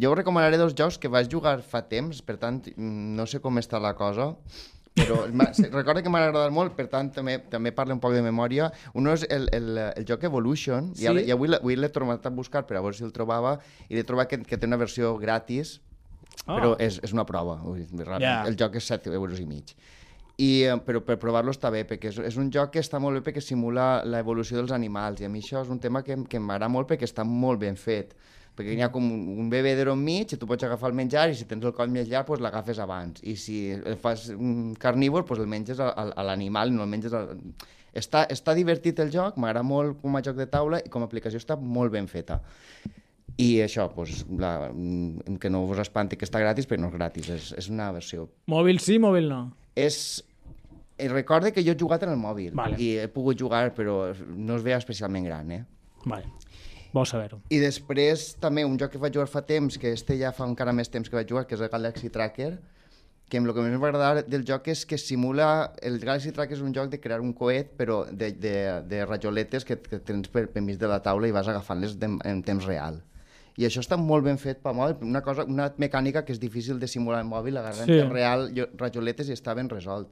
Jo us recomanaré 2 jocs que vaig jugar fa temps, per tant, no sé com està la cosa, però recordo que m'ha agradat molt, per tant, també parlo un poc de memòria. Un és el joc Evolution, Sí. i avui l'he tornat a buscar per a veure si el trobava, i l'he trobat que té una versió gratis, però és una prova. Ja. El joc és 7,5 €. Però per provar-lo està bé, perquè és un joc que està molt bé perquè simula l'evolució dels animals, i a mi això és un tema que m'agrada molt perquè està molt ben fet. Perquè hi ha com un bebedero enmig i tu pots agafar el menjar i si tens el coll més llarg doncs l'agafes abans i si el fas un carnívor doncs el menges a l'animal i no el menges Està divertit el joc, m'agrada molt com a joc de taula i com a aplicació està molt ben feta. I això, doncs, que no vos espanti que està gratis, perquè no és gratis, és una versió. Mòbil sí, mòbil no. Recorde que jo he jugat en el mòbil Vale. i he pogut jugar, però no es veia especialment gran, Vale. Bo saber-ho. I després també un joc que vaig jugar fa temps, que ja fa encara més temps que vaig jugar, que és el Galaxy Tracker, que el que més m'ha agradat del joc és que simula... El Galaxy Tracker és un joc de crear un coet, però de rajoletes que tens per mig de la taula i vas agafant-les en temps real. I això està molt ben fet per mòbil, una mecànica que és difícil de simular en mòbil, agarrar en temps real rajoletes i està ben resolt.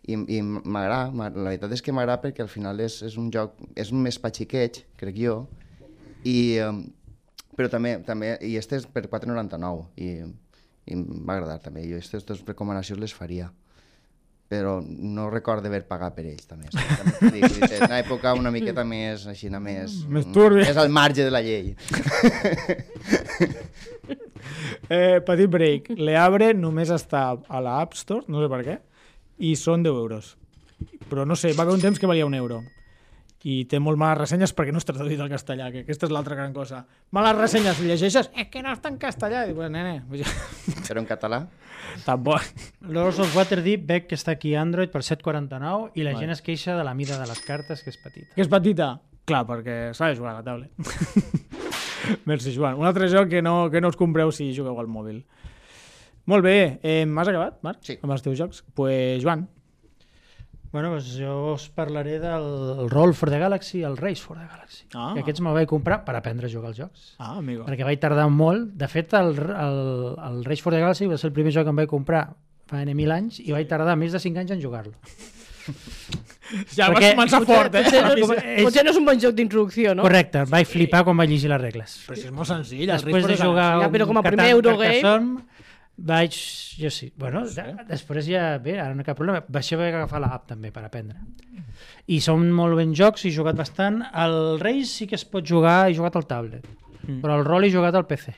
I m'agrada, la veritat és que m'agrada perquè al final és un joc, és més patxiqueig, crec jo, però també i este és per 4,99 i m'ha agradat també. Jo aquestes 2 recomanacions les faria, però no recordo haver pagat per ells també. És una època una miqueta més així, més turbia. És al marge de la llei. Petit break. Leabre només està a la App Store, no sé per què, i són 10 euros. Però no sé, va haver un temps que valia €1. I té molt males ressenyes perquè no està traduït al castellà, que aquesta és l'altra gran cosa. Males ressenyes, llegeixes, que no està en castellà. I dic, bueno, nene, Però en català? tampoc. Lords of Waterdeep veig que està aquí a Android per 7,49 i la gent es queixa de la mida de les cartes, que és petita. Que és petita? Clar, perquè s'ha de jugar a la tablet. Merci, Joan. Un altre joc que no us compreu si jugueu al mòbil. Molt bé. Has acabat, Marc? Sí. Amb els teus jocs? Pues, Joan. Bueno, doncs jo us parlaré del Roll for the Galaxy i el Race for the Galaxy. Ah. Que aquests me'l vaig comprar per aprendre a jugar als jocs. Ah, amigo. Perquè vaig tardar molt. De fet, el Race for the Galaxy va ser el primer joc que em vaig comprar fa 1000 anys i vaig tardar més de 5 anys en jugar-lo. Ja vas Perquè- començar fort, eh? Potser no és un bon joc d'introducció, no? Correcte, vaig flipar quan vaig llegir les regles. Però si és molt senzill. el Després de Race for the jugar Ja, però com a un primer Catan Eurogame- Carcassonne, vaig... Jo sí. Bueno, sé. després ja... Bé, ara no hi ha cap problema. Vaig haver d'agafar l'app també per aprendre. I són molt ben jocs, he jugat bastant. El Race sí que es pot jugar, he jugat al tablet. Però el Roll he jugat al PC.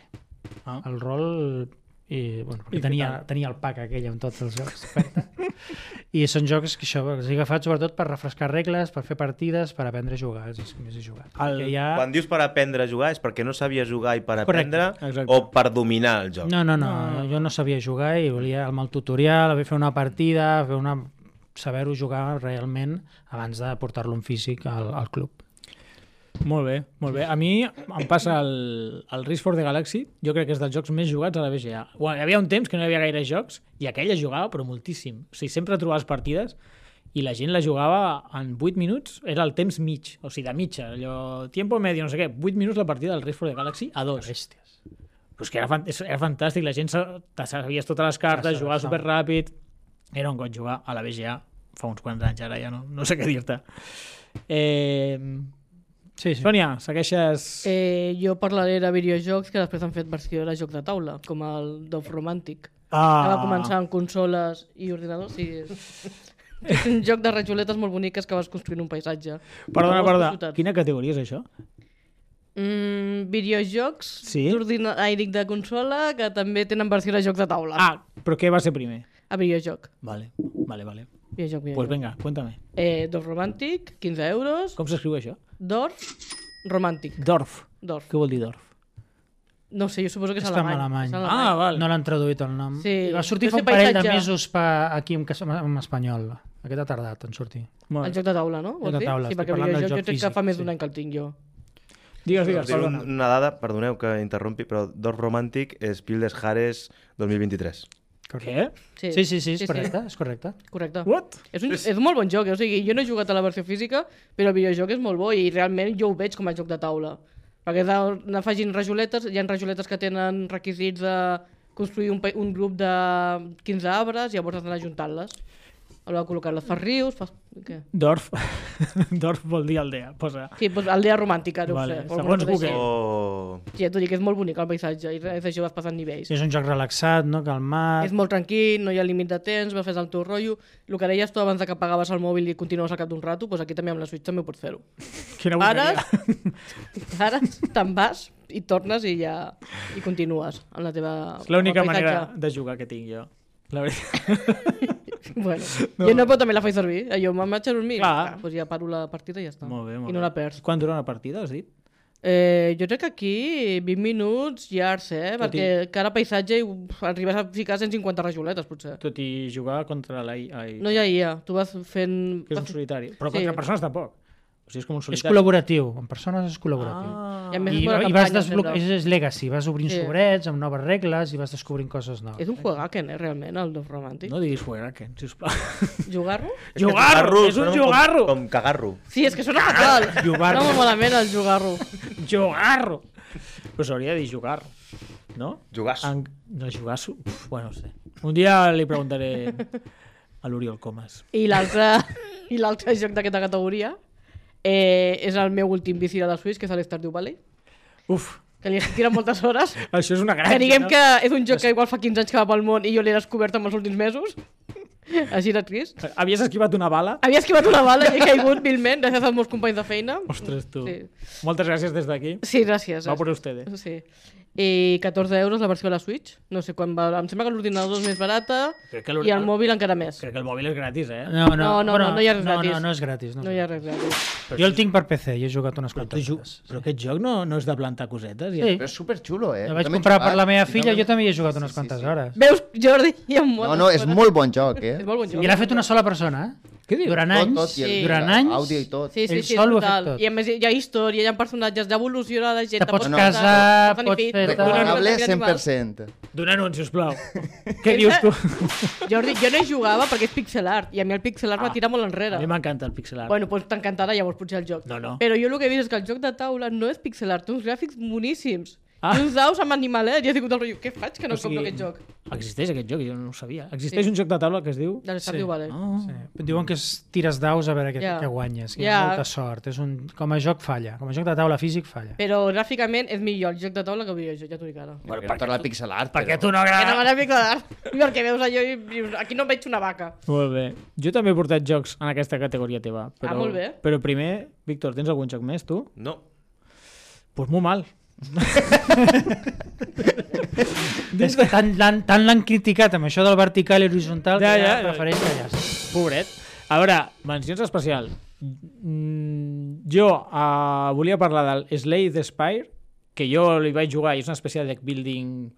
Ah. El Roll... I, bueno, I què tenia el pack aquell amb tots els jocs d'oferta. I són jocs que això els he agafat sobretot per refrescar regles, per fer partides, per aprendre a jugar, és el que més he jugat. El- Perquè ja... Quan dius per aprendre a jugar és perquè no sabies jugar i per Correcte, aprendre exacte. o per dominar el joc? No, jo no sabia jugar i volia amb el tutorial, fer una partida, saber-ho jugar realment abans de portar-lo en físic al club. Molt bé, molt bé. A mi em passa el Race for the Galaxy, jo crec que és dels jocs més jugats a la BGA. Bueno, hi havia un temps que no hi havia gaire jocs i aquell es jugava però moltíssim. O sigui, sempre trobaves partides i la gent la jugava en 8 minuts, era el temps mig, o sigui, de mitja, allò, tiempo medio, no sé què, 8 minuts la partida del Race for the Galaxy a 2. Bèsties. Pues que era fantàstic, la gent te sabies totes les cartes, jugava superràpid, era un got jugar a la BGA fa uns quants anys, ara ja no sé què dir-te. Sí. Sònia, segueixes... Jo parlaré de videojocs que després han fet versió de joc de taula, com el Dove Romantic, que Ah, va començar amb consoles i ordinadors. Sí, és un joc de rajoletes molt boniques que vas construint un paisatge. Perdona, Ciutats. quina categoria és això? Videojocs Sí? de consola que també tenen versió de joc de taula. Ah, però què va ser primer? A videojoc. Vale. Videojoc. Pues venga, cuéntame. Dove Romantic, 15 euros. Com s'escriu això? Dorf Romantic. Dorf. Dorf. Què vol dir Dorf? No sé, jo suposo que és Està en alemany. alemany. Ah, val. No l'han traduït el nom. Sí. I va sortir Deu fa ser un parell de paisatge. mesos aquí en espanyol. Aquest ha tardat en sortir. Molt El bé. joc de taula, no? Vols de dir? taula, Sí, estic perquè parlant del videojoc joc jo crec que físic, fa més sí. d'un any que el tinc jo. Digues, Dir perdona. una dada, perdoneu que interrompi, però Dorf Romantic és Spiel des Jahres 2023. Què? Sí, Sí, és correcte, és correcte. Correcte. What? És un molt bon joc, o sigui, jo no he jugat a la versió física, però el videojoc és molt bo i realment jo ho veig com a joc de taula. Perquè anar afegint rajoletes, hi ha rajoletes que tenen requisits de construir un grup de 15 arbres i llavors has d'anar ajuntant-les. A l'hora de col·locar-les, fas rius, fas... Què? Dorf. Dorf vol dir aldea. Posa. Sí, doncs aldea romàntica, deu Vale, ser. segons Google. O... Sí, ja t'ho dic, és molt bonic el paisatge i res, això vas passant nivells. És un joc relaxat, no? Calmat. És molt tranquil, no hi ha límit de temps, vas fer el teu rotllo. El que deies tu abans de que apagaves el mòbil i continues al cap d'un rato, doncs aquí també amb la Switch també ho pots fer-ho. Quina Ara, bogeria. ara te'n vas i tornes i ja i continues amb la teva... És l'única amb el paisatge. manera de jugar que tinc jo. La veritat. Bueno, jo no, però també la faig servir. Jo me'n vaig a dormir, Clar. doncs ja paro la partida i ja està. Molt bé, molt I no bé. la perds. Quant dura una partida, has dit? Jo crec que aquí 20 minuts llargs, Tot i- perquè cada paisatge arribes a ficar 150 rajoletes, potser. Tot i jugar contra la IA. No hi ha IA, tu vas fent... Que és un solitari. Però Sí. contra persones tampoc. O sigui, és com un És solitari. col·laboratiu, amb persones és col·laboratiu. Ah. I a més I, és bona i vas campanya, desbloquejar, sempre. és legacy, vas obrint Sí. sobrets amb noves regles i vas descobrint coses noves. És un juegaken, realment, el Dove Romantic. No diguis Fuegaken, sisplau. Jugar-lo? Jugarro! És un sona jugarro! Com cagarro. Sí, és que sona fatal. Jugar-lo. No molt malament el jugar-lo. Jugarro! Però s'hauria de dir jugar, no? Jugàs. No, jugar-s'ho... Bueno, no sé. Un dia li preguntaré a l'Oriol Comas. I l'altre joc d'aquesta categoria és el meu últim vici de la Switch, que és l'Stardew Valley, Uf, que li estic tirant moltes hores. això és una gràcia, Que diguem no? que és un joc que igual fa 15 anys que va pel món i jo l'he descobert en els últims mesos. Així de trist. Havies esquivat una bala? Havia esquivat una bala i he caigut vilment gràcies als meus companys de feina. Ostres, tu. Sí. Moltes gràcies des d'aquí. Sí, gràcies. Va per ustedes. Sí. i 14 euros la versió de la Switch. No sé quan va... Em sembla que l'ordinador és més barata Crec que i el mòbil encara més. Crec que el mòbil és gratis, No hi ha res gratis. No és gratis. No hi ha res gratis. Jo el tinc per PC i he jugat unes Però, quantes hores. però aquest joc no és de plantar cosetes? Sí. Però és superxulo, eh? El vaig També he comprar per jugat la meva i filla, no- jo també hi he jugat unes quantes hores. Veus, Jordi? Hi ha moltes No, és coses. molt bon joc, eh? És molt bon joc. I l'ha fet una sola persona, eh? Què dius? Durant Tot, anys, tot, i el- durant i anys, àudio i tot. Sí, Ell és sol ho ha brutal. fet tot. I a més hi ha història, hi ha personatges, evoluciona la gent... Te pots No, casar, pots pots fer... fer... Recomanable 100%. Dóna-ho, sisplau. Què dius tu? Jordi, jo no hi jugava perquè és pixel art i a mi el pixel art va tirar molt A enrere. mi m'encanta el pixel art. Bueno, doncs t'encantarà llavors potser el joc. No. Però jo el que he vist és que el joc de taula no és pixel art, té uns gràfics boníssims. Ah. I uns daus amb animalets. Jo he sigut el rotllo, què faig que no compro aquest joc? Existeix aquest joc, jo no ho sabia. Existeix un joc de taula que es diu... De l'Estardew Valley. Sí. Diuen que tires daus a veure què guanyes, que hi ha Ja. molta sort. Com a joc falla, com a joc de taula físic falla. Però gràficament és millor el joc de taula que el videojoc, ja t'ho dic ara. Bueno, per la pixel art, Perquè però... tu no Que no agrada... m'agrada pixel art. Perquè veus allò i dius, aquí no em veig una vaca. Molt bé. Jo també he portat jocs en aquesta categoria teva. Però, molt bé. Però primer, Víctor, tens algun joc més, tu? No. Pues molt mal. És que tant l'han criticat amb això del vertical i horitzontal que Ja. prefereix callar. Pobret. A veure, mencions especial. Jo volia parlar del Slay the Spire, que jo li vaig jugar i és una espècie de deck building...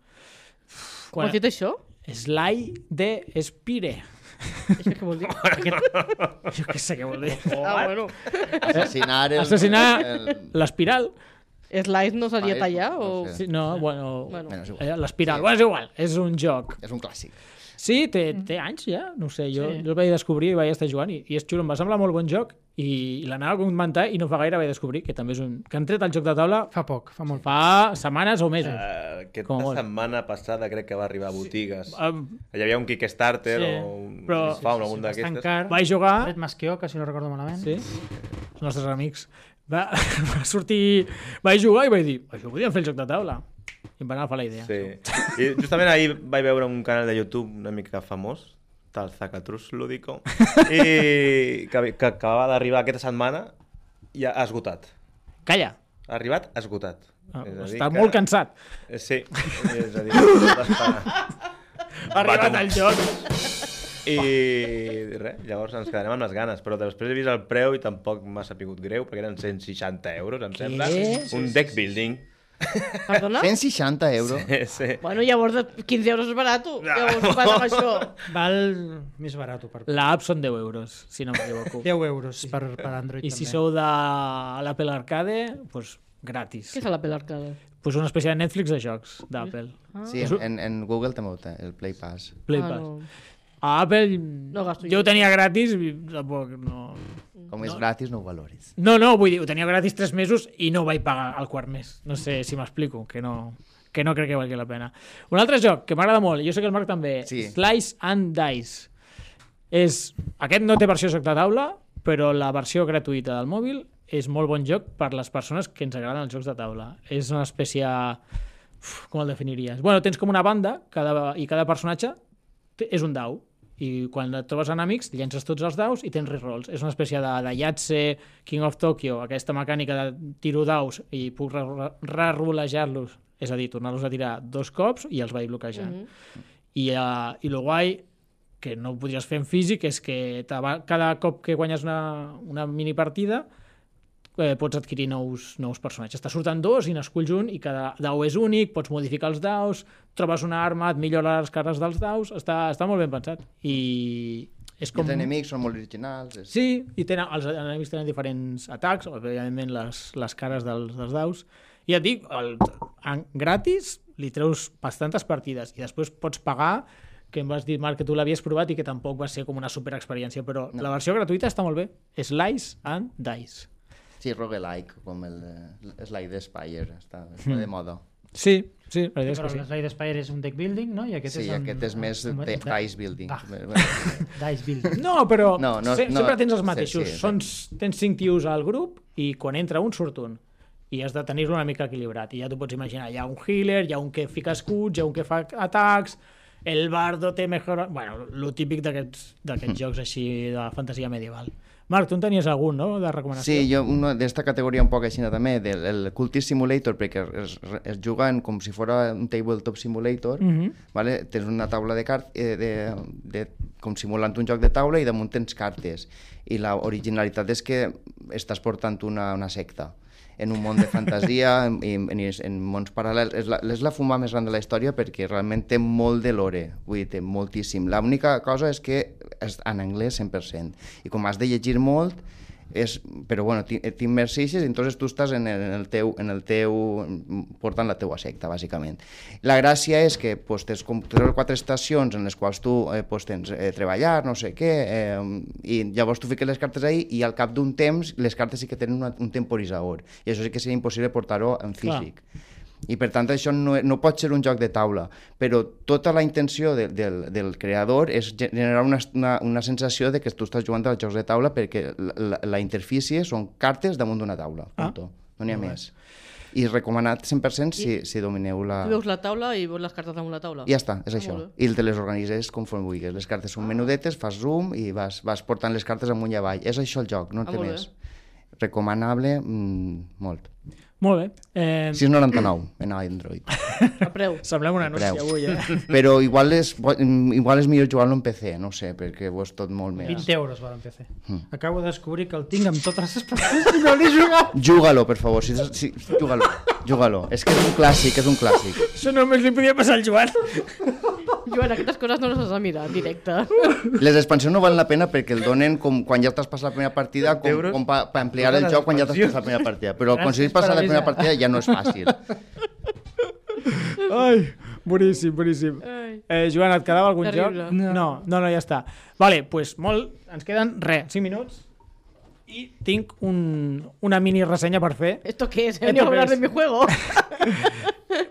Com has dit això? Slay the Spire. Això què vol dir? Jo què sé què vol dir. Bueno. Assassinar l'espiral. Slice no seria Slice, tallar no o... sé. Sí, no, bueno, Bueno. Bueno, és igual. l'espiral. Sí. Bueno, és igual, és un joc. És un clàssic. Sí, té anys ja, no ho sé, jo Sí. el vaig descobrir i vaig estar jugant i és xulo, em va semblar molt bon joc i l'anava a comentar i no fa gaire vaig descobrir que també és un... que han tret el joc de taula Fa poc, fa molt poc. fa setmanes o mesos. Aquesta Com molt. setmana passada crec que va arribar a botigues. Um, Hi havia un Kickstarter Sí, o un però- Spawn, algun Bastant d'aquestes. car. vaig jugar... Fred Masqueoca, si no recordo malament. Sí, els nostres amics. Va sortir... Vaig jugar i vaig dir, això podíem fer el joc de taula. I em va anar a fer la idea. Sí. I justament ahir vaig veure un canal de YouTube una mica famós, del Zacatrus Lúdico, i que acabava d'arribar aquesta setmana i ha esgotat. Calla, Ha arribat esgotat. Ah, És a dir està que- molt cansat. Sí, és a dir, tot està... Ha arribat tomar. el joc. I res, llavors ens quedarem amb les ganes, però després he vist el preu i tampoc m'ha sapigut greu, perquè eren 160 euros, em sembla. Un deck building. Perdona? 160 euros. Sí. Bueno, llavors 15 euros és barat. Llavors vas amb això. Val més barat per L'app són 10 euros, si no m'equivoco. 10 euros per Android I també. si sou de l'Apple Arcade, doncs gratis. Què és l'Apple Arcade? Pues una espècie de Netflix de jocs d'Apple. Sí, en Google també ho té, el Play Pass. Play Ah, Pass. no. A Apple No gasto jo jo. ho tenia gratis i tampoc no... Com és gratis, no ho valoris. No, vull dir, ho tenia gratis 3 mesos i no vaig pagar el quart mes. No sé si m'explico, que no crec que valgui la pena. Un altre joc que m'agrada molt, i jo sé que el Marc també, Sí. Slice and Dice. Aquest no té versió joc de taula, però la versió gratuïta del mòbil és molt bon joc per les persones que ens agraden els jocs de taula. És una espècie... com el definiries? Bueno, tens com una banda i cada personatge és un dau i quan et trobes enemics llences tots els daus i tens rerolls. És una espècie de Yahtzee, King of Tokyo, aquesta mecànica de tiro daus i puc rerolejar-los, és a dir, tornar-los a tirar 2 cops i els vaig bloquejant. I el guai que no ho podries fer en físic és que cada cop que guanyes una mini partida pots adquirir nous personatges. Te surten 2 i n'esculls un i cada dau és únic, pots modificar els daus, trobes una arma, et millora les cares dels daus, està molt ben pensat. I és Com... com... Els enemics són molt originals. És... Sí, i els enemics tenen diferents atacs, evidentment les cares dels daus. I et dic, gratis li treus bastantes partides i després pots pagar, que em vas dir, Marc, que tu l'havies provat i que tampoc va ser com una superexperiència, però la versió gratuïta està molt bé. Slice and Dice. Sí, roguelike, com el Slide the Spire, està de moda. Sí, la idea és Però que sí. l'Slide Spire és un deck building, no? I aquest Sí, és aquest és més dice building. Dice building. No, però No, sempre tens els sí, mateixos. sí, Tens 5 tios al grup i quan entra un surt un. I has de tenir-lo una mica equilibrat. I ja t'ho pots imaginar. Hi ha un healer, hi ha un que fica escuts, hi ha un que fa atacs, el bardo té mejor... Bueno, lo típic d'aquests jocs així de fantasia medieval. Marc, tu en tenies algun, no?, de recomanació? Sí, jo una d'esta categoria un poc així també, del Cultist Simulator, perquè es juguen com si fos un tabletop simulator, vale? Tens una taula de cartes, com simulant un joc de taula, i damunt tens cartes. I l'originalitat és que estàs portant una secta en un món de fantasia, en mons paral·lels. És la fuma més gran de la història perquè realment té molt de lore, vull dir, té moltíssim. L'única cosa és que és en anglès 100%, i com has de llegir molt, però bueno, t'immerseixes i entonces tu estàs en el teu portant la teua secta, bàsicament. La gràcia és que tens com 3 o 4 estacions en les quals tu tens treballar, no sé què, i llavors tu fiques les cartes ahí i al cap d'un temps les cartes sí que tenen un temporitzador, i això sí que seria impossible portar-ho en físic. I per tant això no pot ser un joc de taula, però tota la intenció del creador és generar una sensació de que tu estàs jugant als jocs de taula, perquè la interfície són cartes damunt d'una taula, punto. No n'hi ha més. I recomanat 100% si domineu la... Tu veus la taula i veus les cartes damunt la taula. I ja està, és això. I te les organitzes conforme vulguis. Les cartes són menudetes, fas zoom i vas portant les cartes amunt i avall. És això el joc, no té més. Recomanable, molt. Molt bé. 6,99 en Android. A preu. Semblem un anunci avui, Però igual és millor jugar-lo en PC, no sé, perquè ho és tot molt més. 20 euros val en PC. Acabo de descobrir que el tinc amb totes les persones i no l'he jugat. Juga-lo, per favor. Juga-lo. És que és un clàssic, Això només li podia passar al Joan. Joan, aquestes coses no les has de mirar en directe. Les expansions no valen la pena perquè el donen com quan ja t'has passat la primera partida, com per ampliar el joc quan ja t'has passat la primera partida. Però aconseguir passar la primera partida ja no és fàcil. Ai, boníssim. Joan, et quedava algun Terrible. joc? No, ja està. Vale, doncs ens queden 5 minuts i tinc una mini ressenya per fer. ¿Esto qué es? ¿He venido a hablar de mi juego?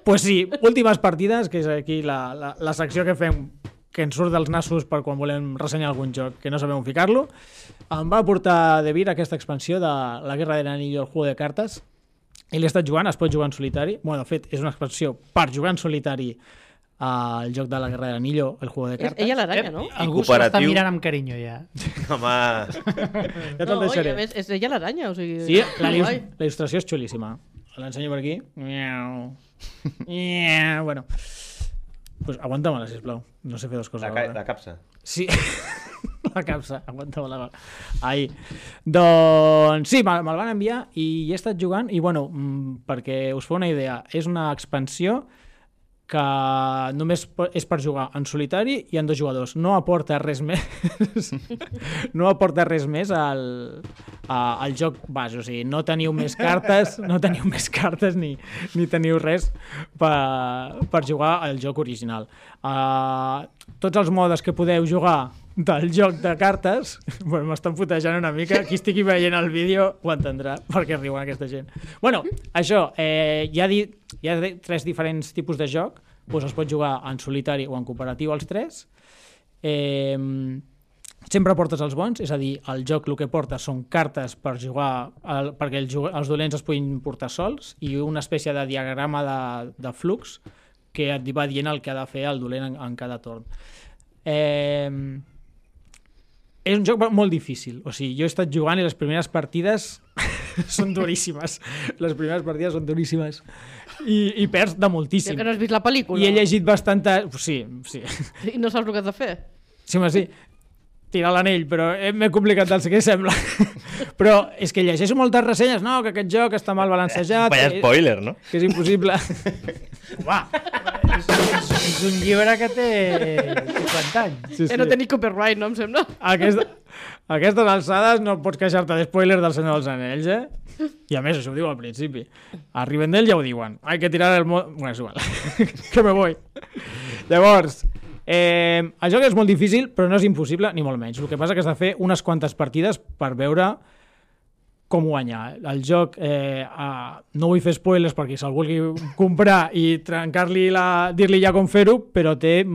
Pues sí, últimes partides, que és aquí la secció que fem, que ens surt dels nassos per quan volem ressenyar algun joc que no sabem on ficar-lo. Em va portar de vir aquesta expansió de la Guerra del Anillo, el juego de cartes, i l'he estat jugant, es pot jugar en solitari. Bueno, de fet, és una expansió per jugar en solitari al joc de la Guerra del Anillo, el juego de cartes. Ella l'aranya, no? Algú se l'està mirant amb carinyo, ja. Home, Ja te'l No, i deixaré. a més, és ella l'aranya, o sigui... Sí, la guai. il·lustració és xulíssima. L'ensenyo per aquí. Bueno, pues aguanta-me-la, sisplau. No sé fer dues coses. la capsa. Sí, la capsa, aguanta-me-la. Ahí. Doncs sí, me'l van enviar i he estat jugant i, bueno, perquè us feu una idea, és una expansió que només és per jugar en solitari i en 2 jugadors. No aporta res més no aporta res més al joc base. O sigui, no teniu més cartes ni teniu res per jugar al joc original. Tots els modes que podeu jugar del joc de cartes, bueno, m'estan putejant una mica, qui estigui veient el vídeo ho entendrà, perquè riuen aquesta gent. Bueno, això, hi ha 3 diferents tipus de joc, doncs es pot jugar en solitari o en cooperatiu els 3. Sempre portes els bons, és a dir, el joc el que porta són cartes per jugar, perquè els dolents es puguin portar sols, i una espècie de diagrama de flux que et va dient el que ha de fer el dolent en cada torn. És un joc molt difícil, o sigui, jo he estat jugant i les primeres partides són duríssimes. Les primeres partides són duríssimes. I perds de moltíssim. Que no has vist la pel·lícula. I he llegit bastanta... Sí. I no saps el que has de fer. Sí. Tirar l'anell, però m'he complicat del que sembla. Però és que llegeixo moltes ressenyes, no, que aquest joc està mal balancejat. Vaya spoiler, no? Que és impossible. És un llibre que té 50 anys. Sí. No tenis copyright, no em sembla? Aquestes alçades no pots queixar-te d'espoiler del Senyor dels Anells, I a més, això ho diu al principi. A Rivendell ja ho diuen. Hay que tirar el... Bueno, és igual. Que me voy. Llavors... el joc és molt difícil, però no és impossible, ni molt menys. El que passa que has de fer unes quantes partides per veure com guanyar. El joc, no vull fer spoilers perquè se'l vulgui comprar i trencar-li dir-li ja com fer-ho, però té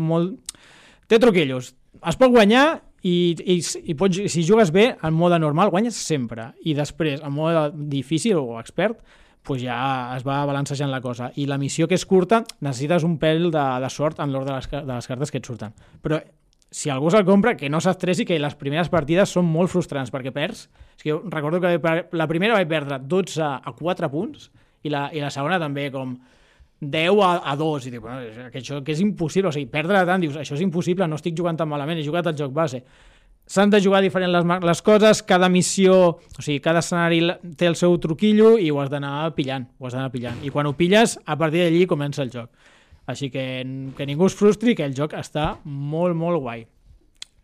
truquillos. Es pot guanyar i si jugues bé, en mode normal guanyes sempre. I després, en mode difícil o expert, pues ja es va balancejant la cosa. I la missió, que és curta, necessites un pèl de sort en l'ordre de les cartes que et surten. Però si algú se'l compra, que no s'estressi, que les primeres partides són molt frustrants, perquè perds. És que jo recordo que la primera vaig perdre 12 a 4 punts, i la segona també com 10 a 2, i dic, bueno, que això que és impossible, o sigui, perdre tant, dius, això és impossible, no estic jugant tan malament, he jugat al joc base. S'han de jugar diferent les coses, cada missió, o sigui, cada escenari té el seu truquillo i ho has d'anar pillant, I quan ho pilles, a partir d'allí comença el joc. Així que ningú es frustri, que el joc està molt, molt guai.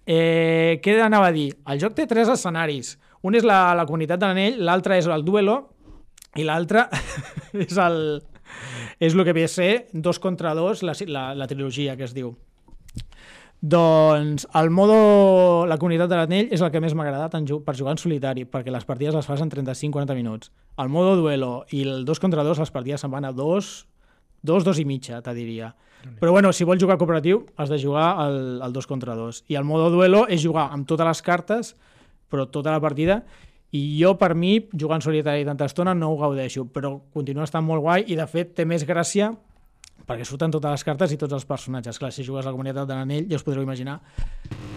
Què anava a dir? El joc té 3 escenaris. Un és la comunitat de l'anell, l'altre és el duelo, i l'altre és el que ve a ser 2 contra 2, la trilogia que es diu. Doncs la comunitat de l'anell és el que més m'ha agradat per jugar en solitari, perquè les partides les fas en 35-40 minuts. El modo duelo i el 2 contra 2, les partides se'n van a 2 i mitja, te diria. Però bueno, si vols jugar cooperatiu, has de jugar el 2 contra 2. I el modo duelo és jugar amb totes les cartes, però tota la partida, i jo, per mi, jugar en solitari tanta estona no ho gaudeixo, però continua estant molt guai i, de fet, té més gràcia perquè surten totes les cartes i tots els personatges. Clar, si jugues a la comunitat de l'anell, ja us podreu imaginar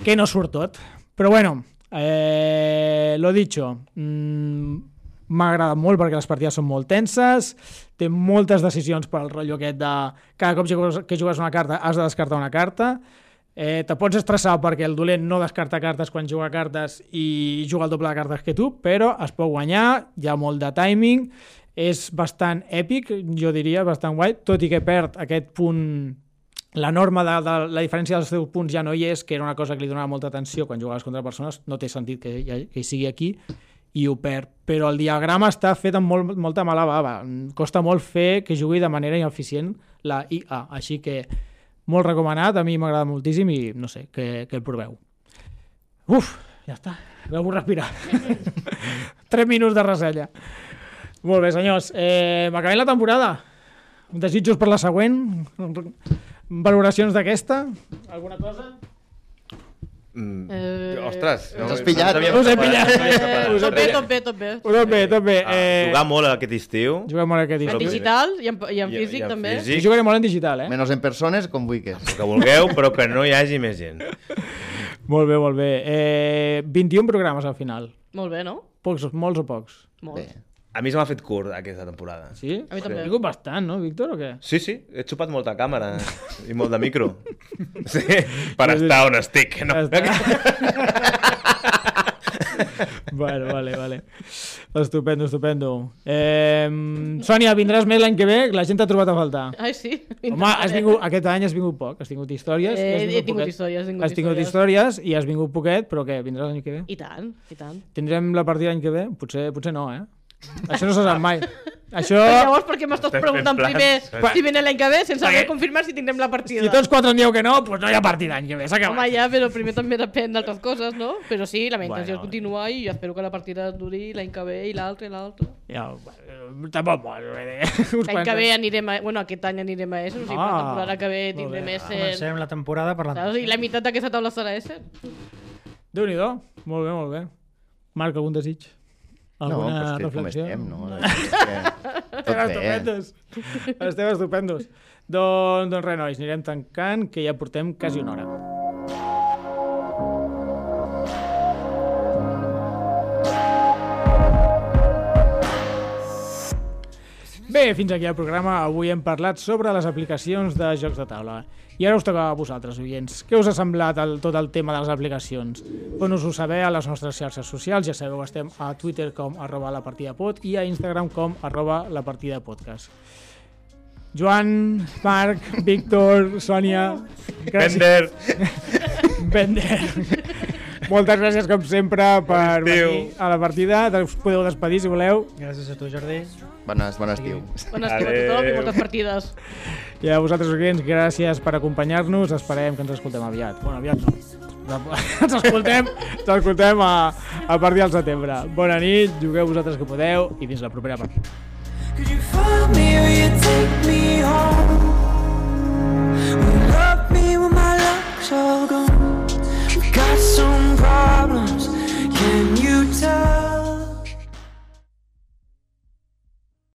que no surt tot. Però bueno, lo dicho, m'ha agradat molt perquè les partides són molt tenses, té moltes decisions per al rotllo aquest de cada cop que jugues una carta has de descartar una carta, te pots estressar perquè el dolent no descarta cartes quan juga cartes i juga el doble de cartes que tu, però es pot guanyar, hi ha molt de timing, és bastant èpic, jo diria, bastant guai, tot i que perd aquest punt, la norma de la diferència dels teus punts ja no hi és, que era una cosa que li donava molta atenció quan jugaves contra persones, no té sentit que hi sigui aquí, i ho perd. Però el diagrama està fet amb molta mala bava. Costa molt fer que jugui de manera ineficient la IA, així que molt recomanat, a mi m'agrada moltíssim i no sé, que el proveu. Uf, ja està, veu respirar. 3 minuts de ressenya. Molt bé, senyors, m'acabem la temporada. Desitjos per la següent, valoracions d'aquesta, alguna cosa? Ostres, Ens has pillat. Us he pillat. Tot bé. Jugar molt aquest estiu. Juguem molt aquest En estiu. digital i en físic també. Sí, jugaré molt en digital, Menos en persones, com vulguis. Que vulgueu, però que no hi hagi més gent. Molt bé. 21 programes al final. Molt bé, no? Molts o pocs? Molt. Bé. A mi se m'ha fet curt aquesta temporada. Sí? A mi també. Ha vingut bastant, no, Víctor, o què? Sí, he xupat molta càmera i molt de micro. Sí, per estar on estic. No? Bueno, vale. Estupendo. Sònia, vindràs més l'any que ve? La gent t'ha trobat a faltar. Ai, sí. Home, aquest any has vingut poc, has tingut històries. He tingut històries i has vingut poquet, però què, vindràs l'any que ve? I tant. Tindrem la partida l'any que ve? Potser no, Això no se sap mai. Això... Llavors, per què m'estàs Estem preguntant fent plans. primer si viene l'any que ve sense haver confirmat si tindrem la partida? Si tots 4 en dieu que no, doncs no hi ha partida l'any que ve, s'ha acabat. Home, ja, però primer també depèn d'altres coses, no? Però sí, la meva intenció és Bueno. continuar i espero que la partida duri l'any que ve i l'altre. Ja, tampoc molt. L'any que ve anirem a... Bueno, aquest any anirem a Essen, o sigui, per la temporada que ve tindrem Essen. Comencem la temporada per la... Saps? I la meitat d'aquesta taula serà Essen. Déu-n'hi-do. Molt bé. Marc, algun desig? Alguna reflexió? Com estem, no? Tot bé. Estem estupendos. Doncs res, nois, anirem tancant, que ja portem quasi una hora. Bé, fins aquí el programa. Avui hem parlat sobre les aplicacions de jocs de taula. I ara us toca a vosaltres, oients. Què us ha semblat tot el tema de les aplicacions? Dones-ho saber a les nostres xarxes socials. Ja sabeu, estem a Twitter com @lapartidapod i a Instagram com @lapartidapodcast. Joan, Marc, Víctor, Sònia... Bender! Bender. Moltes gràcies, com sempre, per venir a la partida. Us podeu despedir, si voleu. Gràcies a tu, Jordi. Bon estiu. Bon estiu a tothom i moltes partides. I a vosaltres, oients, gràcies per acompanyar-nos. Esperem que ens escoltem aviat. Bueno, aviat no. Ens escoltem a partir del setembre. Bona nit, jugueu vosaltres que podeu i fins la propera partida. Could you find me or you take me home? Will you love me when my luck's all gone? We've got so